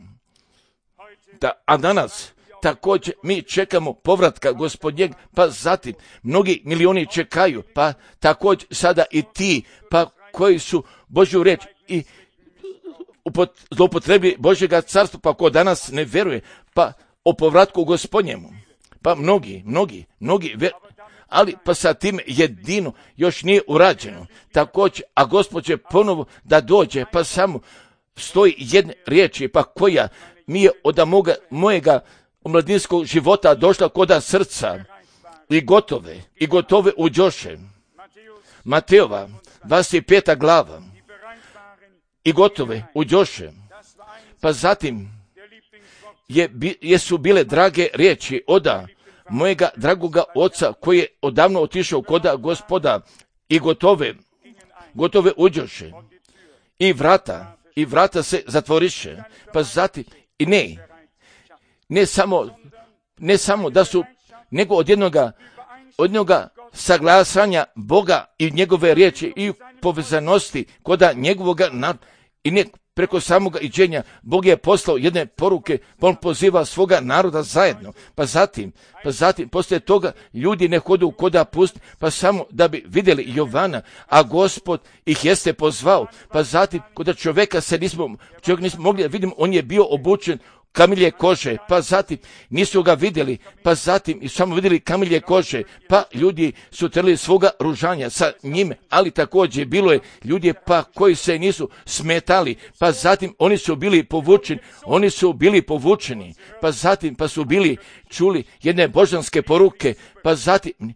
Da, a danas također mi čekamo povratka Gospodnjeg, pa zatim mnogi milioni čekaju, pa također sada i ti, pa koji su Božju riječ i zloupotrebi Božjega carstva, pa ko danas ne vjeruje, pa o povratku Gospodnjemu, pa mnogi, mnogi, mnogi vjeruju, ali pa sa tim jedino još nije urađeno. Također, a Gospod će ponovo da dođe, pa samo stoji jedne riječi, pa koja mi je od moga, mojega omladinskog života došla koda srca i gotove, i gotove uđoše. Matejova, dvadeset peta glava, i gotove uđoše. Pa zatim je, jesu bile drage riječi oda mojega dragoga oca koji je odavno otišao koda Gospoda i gotove, gotove uđoše. I vrata, i vrata se zatvoriše. Pa zatim, i ne, ne samo, ne samo da su, nego od jednoga, od jednoga saglasanja Boga i njegove riječi i povezanosti koda njegovoga nad, i ne preko samoga iđenja, Bog je poslao jedne poruke, pa on poziva svoga naroda zajedno. Pa zatim, pa zatim, poslije toga ljudi ne hodu koda pust, pa samo da bi vidjeli Jovana, a Gospod ih jeste pozvao. Pa zatim, koda čovjeka se nismo, čovjek nismo mogli da vidimo, on je bio obučen kamilje kože, pa zatim nisu ga vidjeli, pa zatim i samo vidjeli kamilje kože, pa ljudi su trli svoga ružanja sa njime, ali također bilo je ljudi pa koji se nisu smetali, pa zatim oni su bili povučeni, oni su bili povučeni, pa zatim pa su bili čuli jedne božanske poruke, pa zatim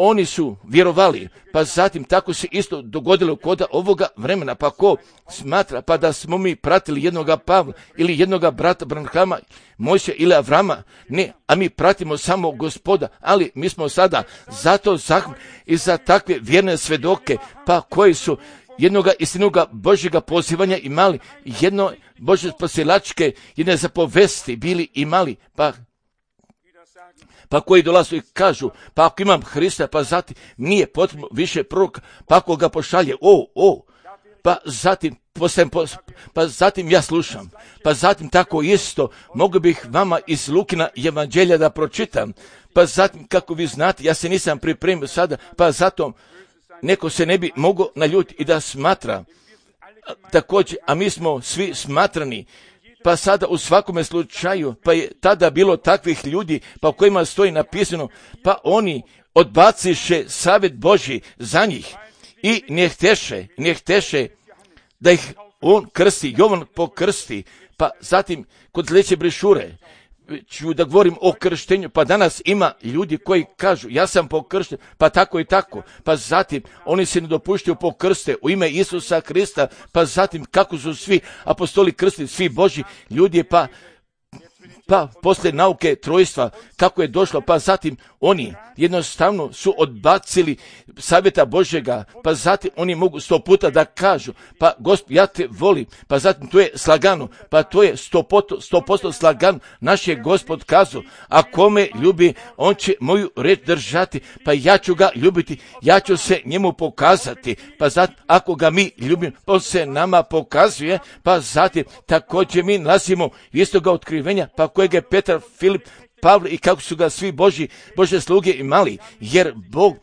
oni su vjerovali, pa zatim tako se isto dogodilo koda ovoga vremena, pa ko smatra pa da smo mi pratili jednoga Pavla ili jednoga brata Branhama, Mojsija ili Avrama, ne, a mi pratimo samo Gospoda, ali mi smo sada zato zahvalni i za takve vjerne svedoke, pa koji su jednoga istinoga Božjega pozivanja imali, jedno Božje spasilačke, jedne zapovesti bili imali, pa pa koji dolazu i kažu, pa ako imam Hrista, pa zatim nije potrebno više proroka, pa ako ga pošalje, o, o, pa zatim, postajem, pa zatim ja slušam, pa zatim tako isto, mogu bih vama iz Lukina evanđelja da pročitam, pa zatim, kako vi znate, ja se nisam pripremio sada, pa zato neko se ne bi mogao naljuti i da smatra, također, a mi smo svi smatrani, pa sada u svakome slučaju, pa je tada bilo takvih ljudi, pa u kojima stoji napisano, pa oni odbaciše savjet Božji za njih i ne hteše, ne hteše da ih on krsti, Jovan pokrsti, pa zatim kod sljedeće brišure ću da govorim o krštenju, pa danas ima ljudi koji kažu ja sam pokršten, pa tako i tako, pa zatim oni se ne dopuštaju pokrste u ime Isusa Krista, pa zatim kako su svi apostoli krstili, svi Božji ljudi, pa pa poslije nauke trojstva, kako je došlo, pa zatim oni jednostavno su odbacili savjeta Božjega, pa zatim oni mogu sto puta da kažu, pa Gospod, ja te volim, pa zatim to je slagano, pa to je sto posto, sto posto slagano, naš je Gospod kazao, a kome ljubi, on će moju reč držati, pa ja ću ga ljubiti, ja ću se njemu pokazati, pa zatim ako ga mi ljubimo, on se nama pokazuje, pa zatim također mi nalazimo istoga otkrivenja, pa kojeg je Petar, Filip, Pavle i kako su ga svi Božji, Božje sluge imali, jer Bog,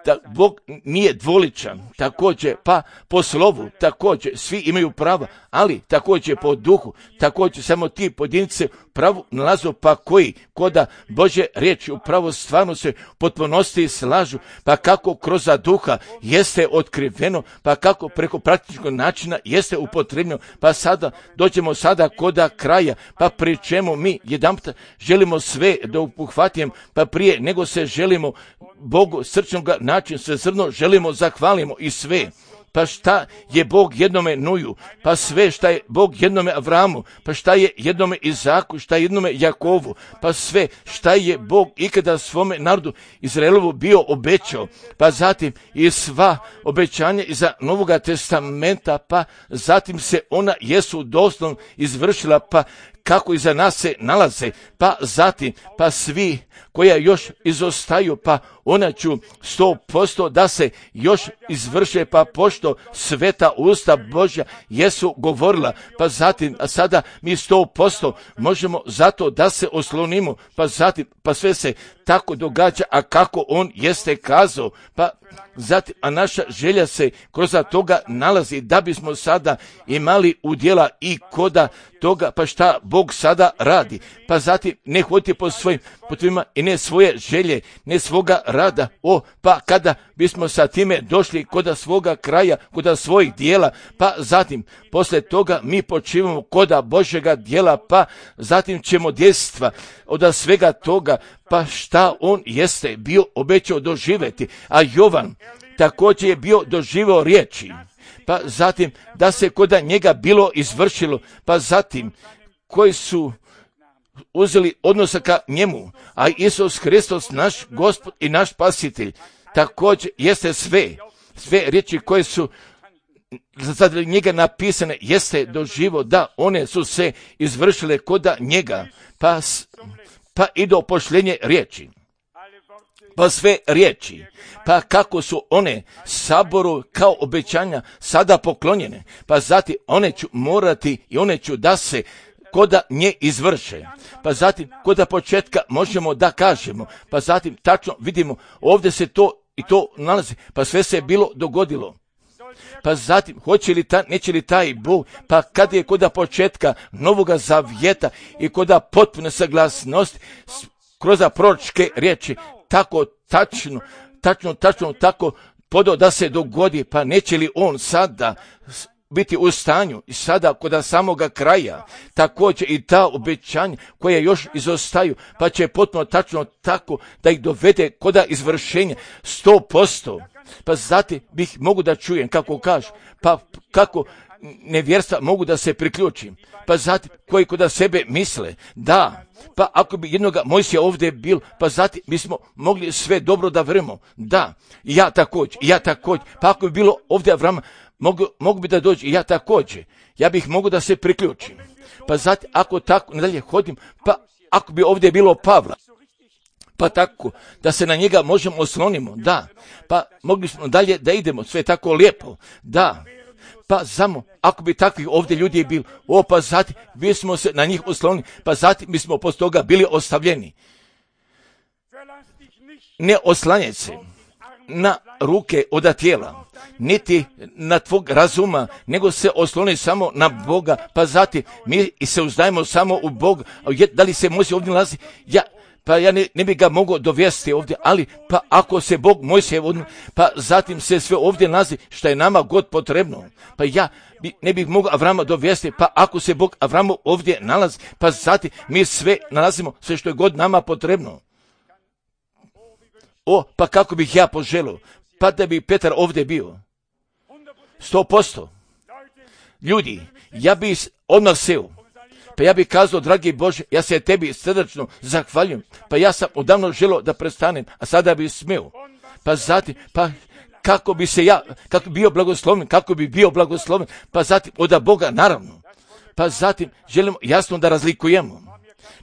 da Bog nije dvoličan, također pa po slovu, također svi imaju prava, ali također po duhu, također samo ti pojedinci pravu nalazu, pa koji koda Božje riječi upravo stvarno se potpunosti slažu, pa kako kroz duha jeste otkriveno, pa kako preko praktičnog načina jeste upotrebljeno, pa sada dođemo sada koda kraja, pa pri čemu mi jedanput želimo sve da upuhvatimo, pa prije nego se želimo Bogu srčnog način sve zrno želimo zahvalimo i sve. Pa šta je Bog jednome Nuju, pa sve šta je Bog jednome Avramu, pa šta je jednome Izaku, šta je jednome Jakovu, pa sve šta je Bog ikada svome narodu Izraelovu bio obećao, pa zatim i sva obećanja iza Novoga testamenta, pa zatim se ona jesu doslovno izvršila, pa kako iza nas se nalaze, pa zatim, pa svi koja još izostaju, pa ona ću sto posto da se još izvrše, pa pošto sveta usta Božja jesu govorila, pa zatim, a sada mi sto posto možemo zato da se oslonimo, pa zatim, pa sve se tako događa, a kako on jeste kazao, pa zatim, a naša želja se kroz toga nalazi da bismo sada imali udjela i koda toga, pa šta Bog sada radi, pa zatim ne hodite po svojim potrebama i ne svoje želje, ne svoga rada, o, pa kada bismo sa time došli koda svoga kraja, koda svojih dijela, pa zatim posle toga mi počivamo koda Božjega dijela, pa zatim ćemo djestva od svega toga, pa šta on jeste bio obećao doživjeti, a Jovan također je bio doživio riječi, pa zatim da se koda njega bilo izvršilo, pa zatim koji su uzeli odnosa ka njemu, a Isus Hristos, naš Gospod i naš Spasitelj, također jeste sve, sve riječi koje su za njega napisane, jeste doživo da one su se izvršile koda njega, pa, pa i do pošljenje riječi. Pa sve riječi, pa kako su one saboru kao obećanja sada poklonjene, pa zatim one ću morati i one ću da se koda nje izvrše. Pa zatim koda početka možemo da kažemo, pa zatim tačno vidimo ovdje se to i to nalazi, pa sve se je bilo dogodilo. Pa zatim, hoće li ta, neće li taj Bog, pa kad je koda početka Novoga Zavjeta i koda potpune saglasnosti kroz proročke riječi, tako tačno, tačno, tačno, tako podao da se dogodi, pa neće li on sada biti u stanju i sada kod samoga kraja, također i ta obećanja koja još izostaju, pa će potpuno tačno tako da ih dovede kod izvršenja sto posto. Pa zatim bih mogu da čujem kako kažu, pa kako nevjerstva mogu da se priključim, pa zatim koji kod sebe misle, da, pa ako bi jednoga Mojsija ovdje bil, pa zatim bismo mogli sve dobro da vremo, da, ja također, ja također, pa ako bi bilo ovdje Avrama, mogu, mogu bi da dođe, ja također, ja bih mogu da se priključim, pa zatim ako tako nadalje hodim, pa ako bi ovdje bilo Pavla, pa tako da se na njega možemo oslonimo, da, pa mogli smo dalje da idemo, sve tako lijepo, da, pa samo ako bi takvih ovdje ljudi bili, o pa zatim bismo se na njih oslonili, pa zatim bismo posto toga bili ostavljeni. Ne oslanjaj se na ruke od tijela, niti na tvog razuma, nego se osloni samo na Boga, pa zatim mi se uzdajemo samo u Boga. Da li se može ovdje nalazi? Ja, pa ja ne, ne bi ga mogao dovesti ovdje, ali pa ako se Bog Mojsije, pa zatim se sve ovdje nalazi što je nama god potrebno. Pa ja bi, ne bih mogao Avrama dovesti, pa ako se Bog Avramu ovdje nalazi, pa zatim mi sve nalazimo, sve što je god nama potrebno. O, pa kako bih ja poželio, pa da bi Petar ovdje bio. Sto posto. Ljudi, ja bih odmah seo. Pa ja bih kazao, dragi Bože, ja se tebi srdačno zahvaljujem. Pa ja sam odavno želio da prestanem, a sada bih smeo. Pa zatim, pa kako bi se ja, kako bi bio blagosloven, kako bi bio blagosloven, pa zatim od Boga, naravno. Pa zatim želimo jasno da razlikujemo.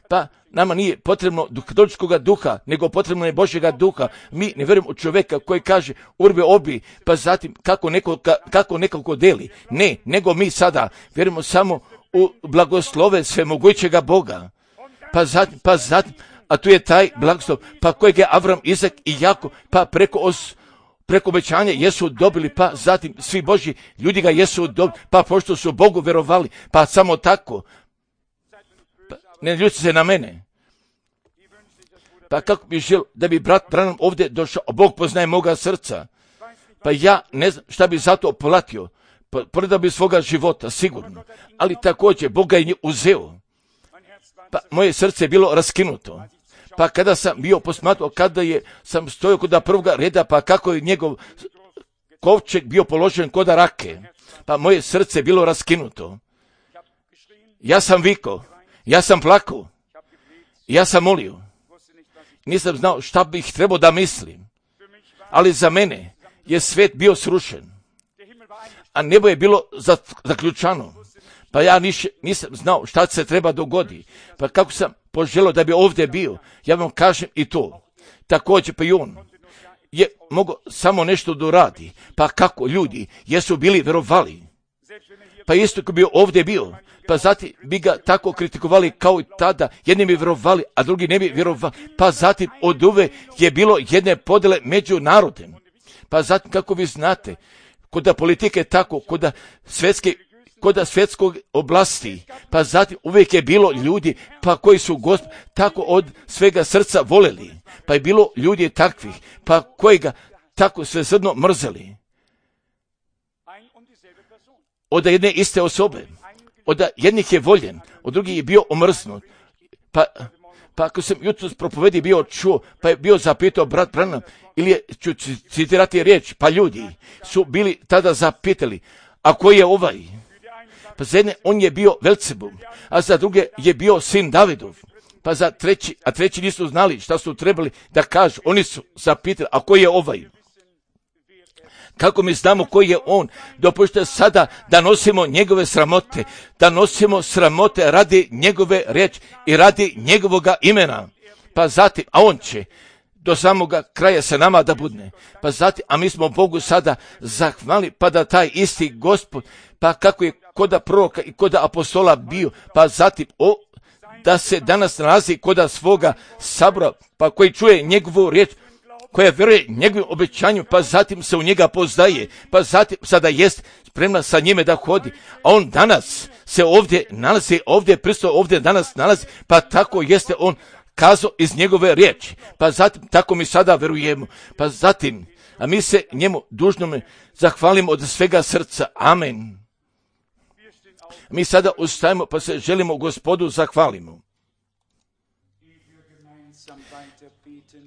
Pa nama nije potrebno katoličkog duha, nego potrebno je Božjega duha. Mi ne vjerujemo u čovjeka koji kaže urbe obi, pa zatim kako neko, kako nekako deli. Ne, nego mi sada vjerujemo samo u blagoslove svemogućega Boga. Pa zatim, pa zatim, a tu je taj blagoslov, pa kojeg je Avram, Izak i Jakov, pa preko os, preko obećanja jesu dobili, pa zatim svi Božji ljudi ga jesu dobili, pa pošto su Bogu vjerovali, pa samo tako. Pa, ne ljuti se na mene. Pa kako bi želio da bi brat Branham ovdje došao, Bog poznaje moga srca. Pa ja ne znam šta bi za to platio. Prodao bi svoga života, sigurno. Ali također, Bog ga je uzeo. Pa moje srce je bilo raskinuto. Pa kada sam bio posmatrao, kada je, sam stojao kod prvoga reda, pa kako je njegov kovčeg bio položen kod rake. Pa moje srce je bilo raskinuto. Ja sam vikao, ja sam plakao, ja sam molio. Nisam znao šta bih trebao da mislim. Ali za mene je svet bio srušen. A nebo je bilo zaključano. Pa ja niš, nisam znao šta se treba dogodi. Pa kako sam poželio da bi ovdje bio, ja vam kažem i to. Također pa i on je mogao samo nešto da uradi. Pa kako ljudi jesu bili vjerovali. Pa isto ko bi ovdje bio, pa zatim bi ga tako kritikovali kao i tada. Jedni bi vjerovali, a drugi ne bi vjerovali. Pa zatim od uve je bilo jedne podjele među narodem. Pa zatim kako vi znate, kod politike tako, kod svjetske, kod svjetskog oblasti, pa zatim uvijek je bilo ljudi, pa koji su Gospod tako od svega srca voleli, pa je bilo ljudi takvih, pa koji ga tako svesrdno mrzeli. Od jedne iste osobe, od jednih je voljen, od drugih je bio omrznut. Pa, pa ako sam jutros propovedi bio čuo, pa je bio zapitao brat Branham, ili je, ću citirati riječ, pa ljudi su bili tada zapitali, a koji je ovaj? Pa za jedne on je bio Velcebul, a za druge je bio sin Davidov. Pa za treći, a treći nisu znali šta su trebali da kažu. Oni su zapitali, a koji je ovaj? Kako mi znamo koji je on? Dopušte sada da nosimo njegove sramote, da nosimo sramote radi njegove riječi i radi njegovoga imena. Pa zatim, a on će do samoga kraja sa nama da budne. Pa zatim, a mi smo Bogu sada zahvali, pa da taj isti Gospod, pa kako je koda proroka i koda apostola bio, pa zatim, o, da se danas nalazi koda svoga sabora, pa koji čuje njegovu riječ, koja vjeruje njegovim obećanju, pa zatim se u njega poznaje, pa zatim sada jest spremna sa njime da hodi. A on danas se ovdje nalazi, ovdje pristo ovdje danas nalazi, pa tako jeste on kazao iz njegove riječi. Pa zatim tako mi sada vjerujemo. Pa zatim, a mi se njemu dužnome zahvalimo od svega srca. Amen. Mi sada ustajemo pa se želimo Gospodu zahvalimo.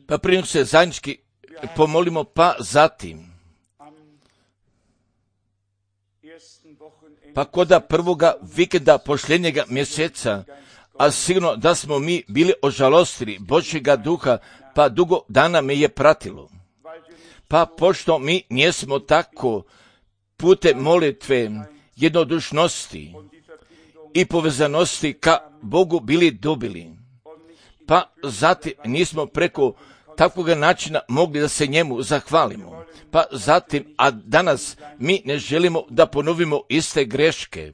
Pa prije se zajednički pomolimo, pa zatim. Pa koda prvoga vikenda pošljenjega mjeseca, a sigurno da smo mi bili ožalostili Božjega duha, pa dugo dana me je pratilo. Pa pošto mi nismo tako putem molitve, jednodušnosti i povezanosti ka Bogu bili dobili, pa zatim nismo preko takvog načina mogli da se njemu zahvalimo. Pa zatim, a danas mi ne želimo da ponovimo iste greške.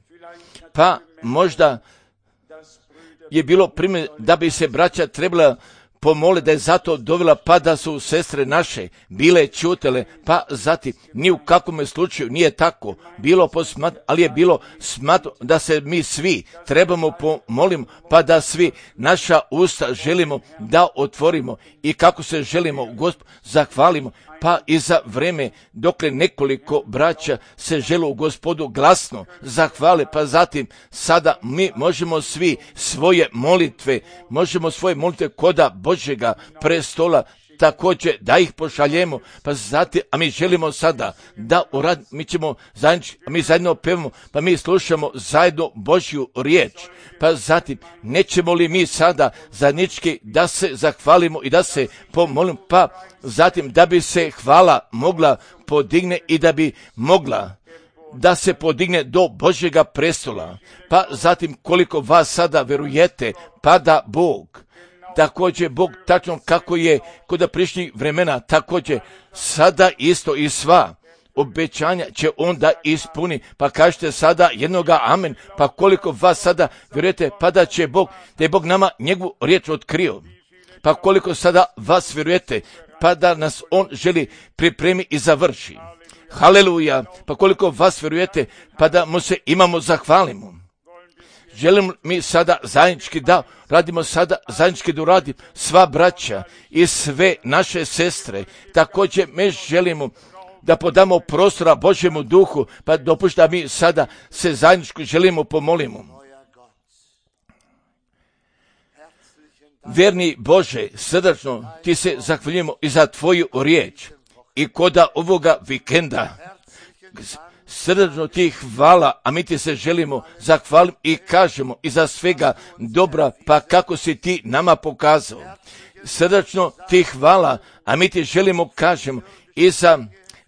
Pa možda je bilo primjer da bi se braća trebala pomole da je zato dovela, pa da su sestre naše bile ćutele, pa zatim ni u kakvom slučaju nije tako bilo posmat, ali je bilo smatro da se mi svi trebamo pomolimo, pa da svi naša usta želimo da otvorimo i kako se želimo Gospod zahvalimo, pa i za vreme dokle nekoliko braća se žele u Gospodu glasno zahvale, pa zatim sada mi možemo svi svoje molitve, možemo svoje molitve koda Božjega prestola također da ih pošaljemo, pa zatim, a mi želimo sada da urad, mi ćemo zajednički, mi zajedno pevamo, pa mi slušamo zajedno Božju riječ, pa zatim nećemo li mi sada zajednički da se zahvalimo i da se pomolimo, pa zatim da bi se hvala mogla podigne i da bi mogla da se podigne do Božjega prestola, pa zatim koliko vas sada verujete, pa da Bog, također Bog tačno kako je kod prišnjih vremena, također sada isto i sva obećanja će on da ispuni, pa kažete sada jednoga amen, pa koliko vas sada vjerujete, pa da će Bog, da je Bog nama njegovu riječ otkrio, pa koliko sada vas vjerujete, pa da nas on želi pripremi i završi. Haleluja, pa koliko vas vjerujete, pa da mu se imamo zahvalimo. Želim mi sada zajednički da radimo sada, zajednički da uradim sva braća i sve naše sestre. Također mi želimo da podamo prostora Božjemu duhu, pa dopušta mi sada se zajednički želimo pomolimo. Vjerni Bože, srdačno ti se zahvaljujemo i za tvoju riječ i koda ovoga vikenda. Srdačno ti hvala, a mi ti se želimo zahvaliti i kažemo i za svega dobra, pa kako si ti nama pokazao. Srdačno ti hvala, a mi ti želimo kažemo i za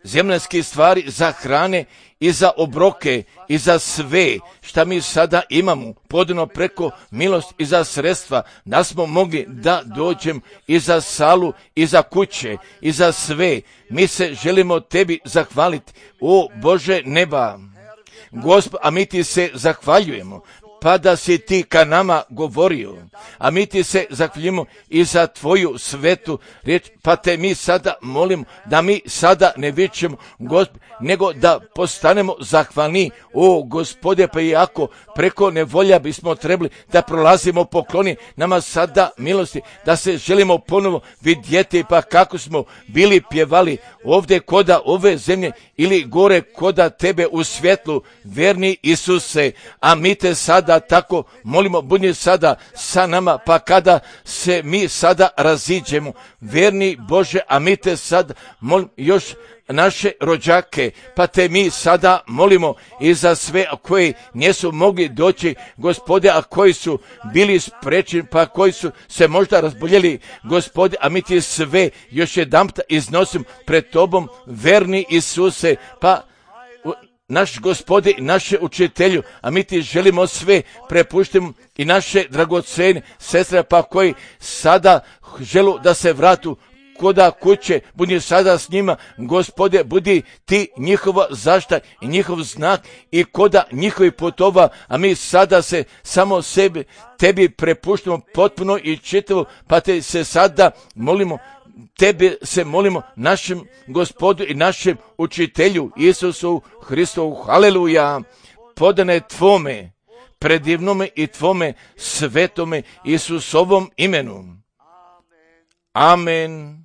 zemljanske stvari, za hrane i za obroke i za sve šta mi sada imamo podano preko milost i za sredstva da smo mogli da dođem i za salu i za kuće i za sve. Mi se želimo tebi zahvaliti, o Bože neba, Gospod, a mi ti se zahvaljujemo, pa da si ti ka nama govorio, a mi ti se zahvaljujemo i za tvoju svetu riječ, pa te mi sada molimo da mi sada ne vičemo, Gospod, nego da postanemo zahvalni, o Gospode, pa i ako preko nevolja bismo trebali da prolazimo pokloni, nama sada milosti, da se želimo ponovo vidjeti, pa kako smo bili pjevali ovdje koda ove zemlje ili gore koda tebe u svjetlu, verni Isuse, a mi te sada tako molimo, budi sada sa nama, pa kada se mi sada raziđemo, verni Bože, a mi te sad molimo još naše rođake, pa te mi sada molimo i za sve koji nisu mogli doći, Gospode, a koji su bili sprečeni, pa koji su se možda razboljeli, Gospode, a mi ti sve još jedanput iznosim pred tobom, verni Isuse, pa naš Gospode i naše učitelju, a mi ti želimo sve prepuštimo i naše dragocene sestre, pa koji sada želu da se vratu koda kuće, budi sada s njima, Gospode, budi ti njihova zašta i njihov znak i koda njihovi putova, a mi sada se samo sebi, tebi prepuštamo potpuno i čitavo, pa te se sada molimo, tebe se molimo, našem Gospodu i našem učitelju Isusu Hristovu, haleluja, podane tvome, predivnome i tvome svetome Isusovom imenu. Amen.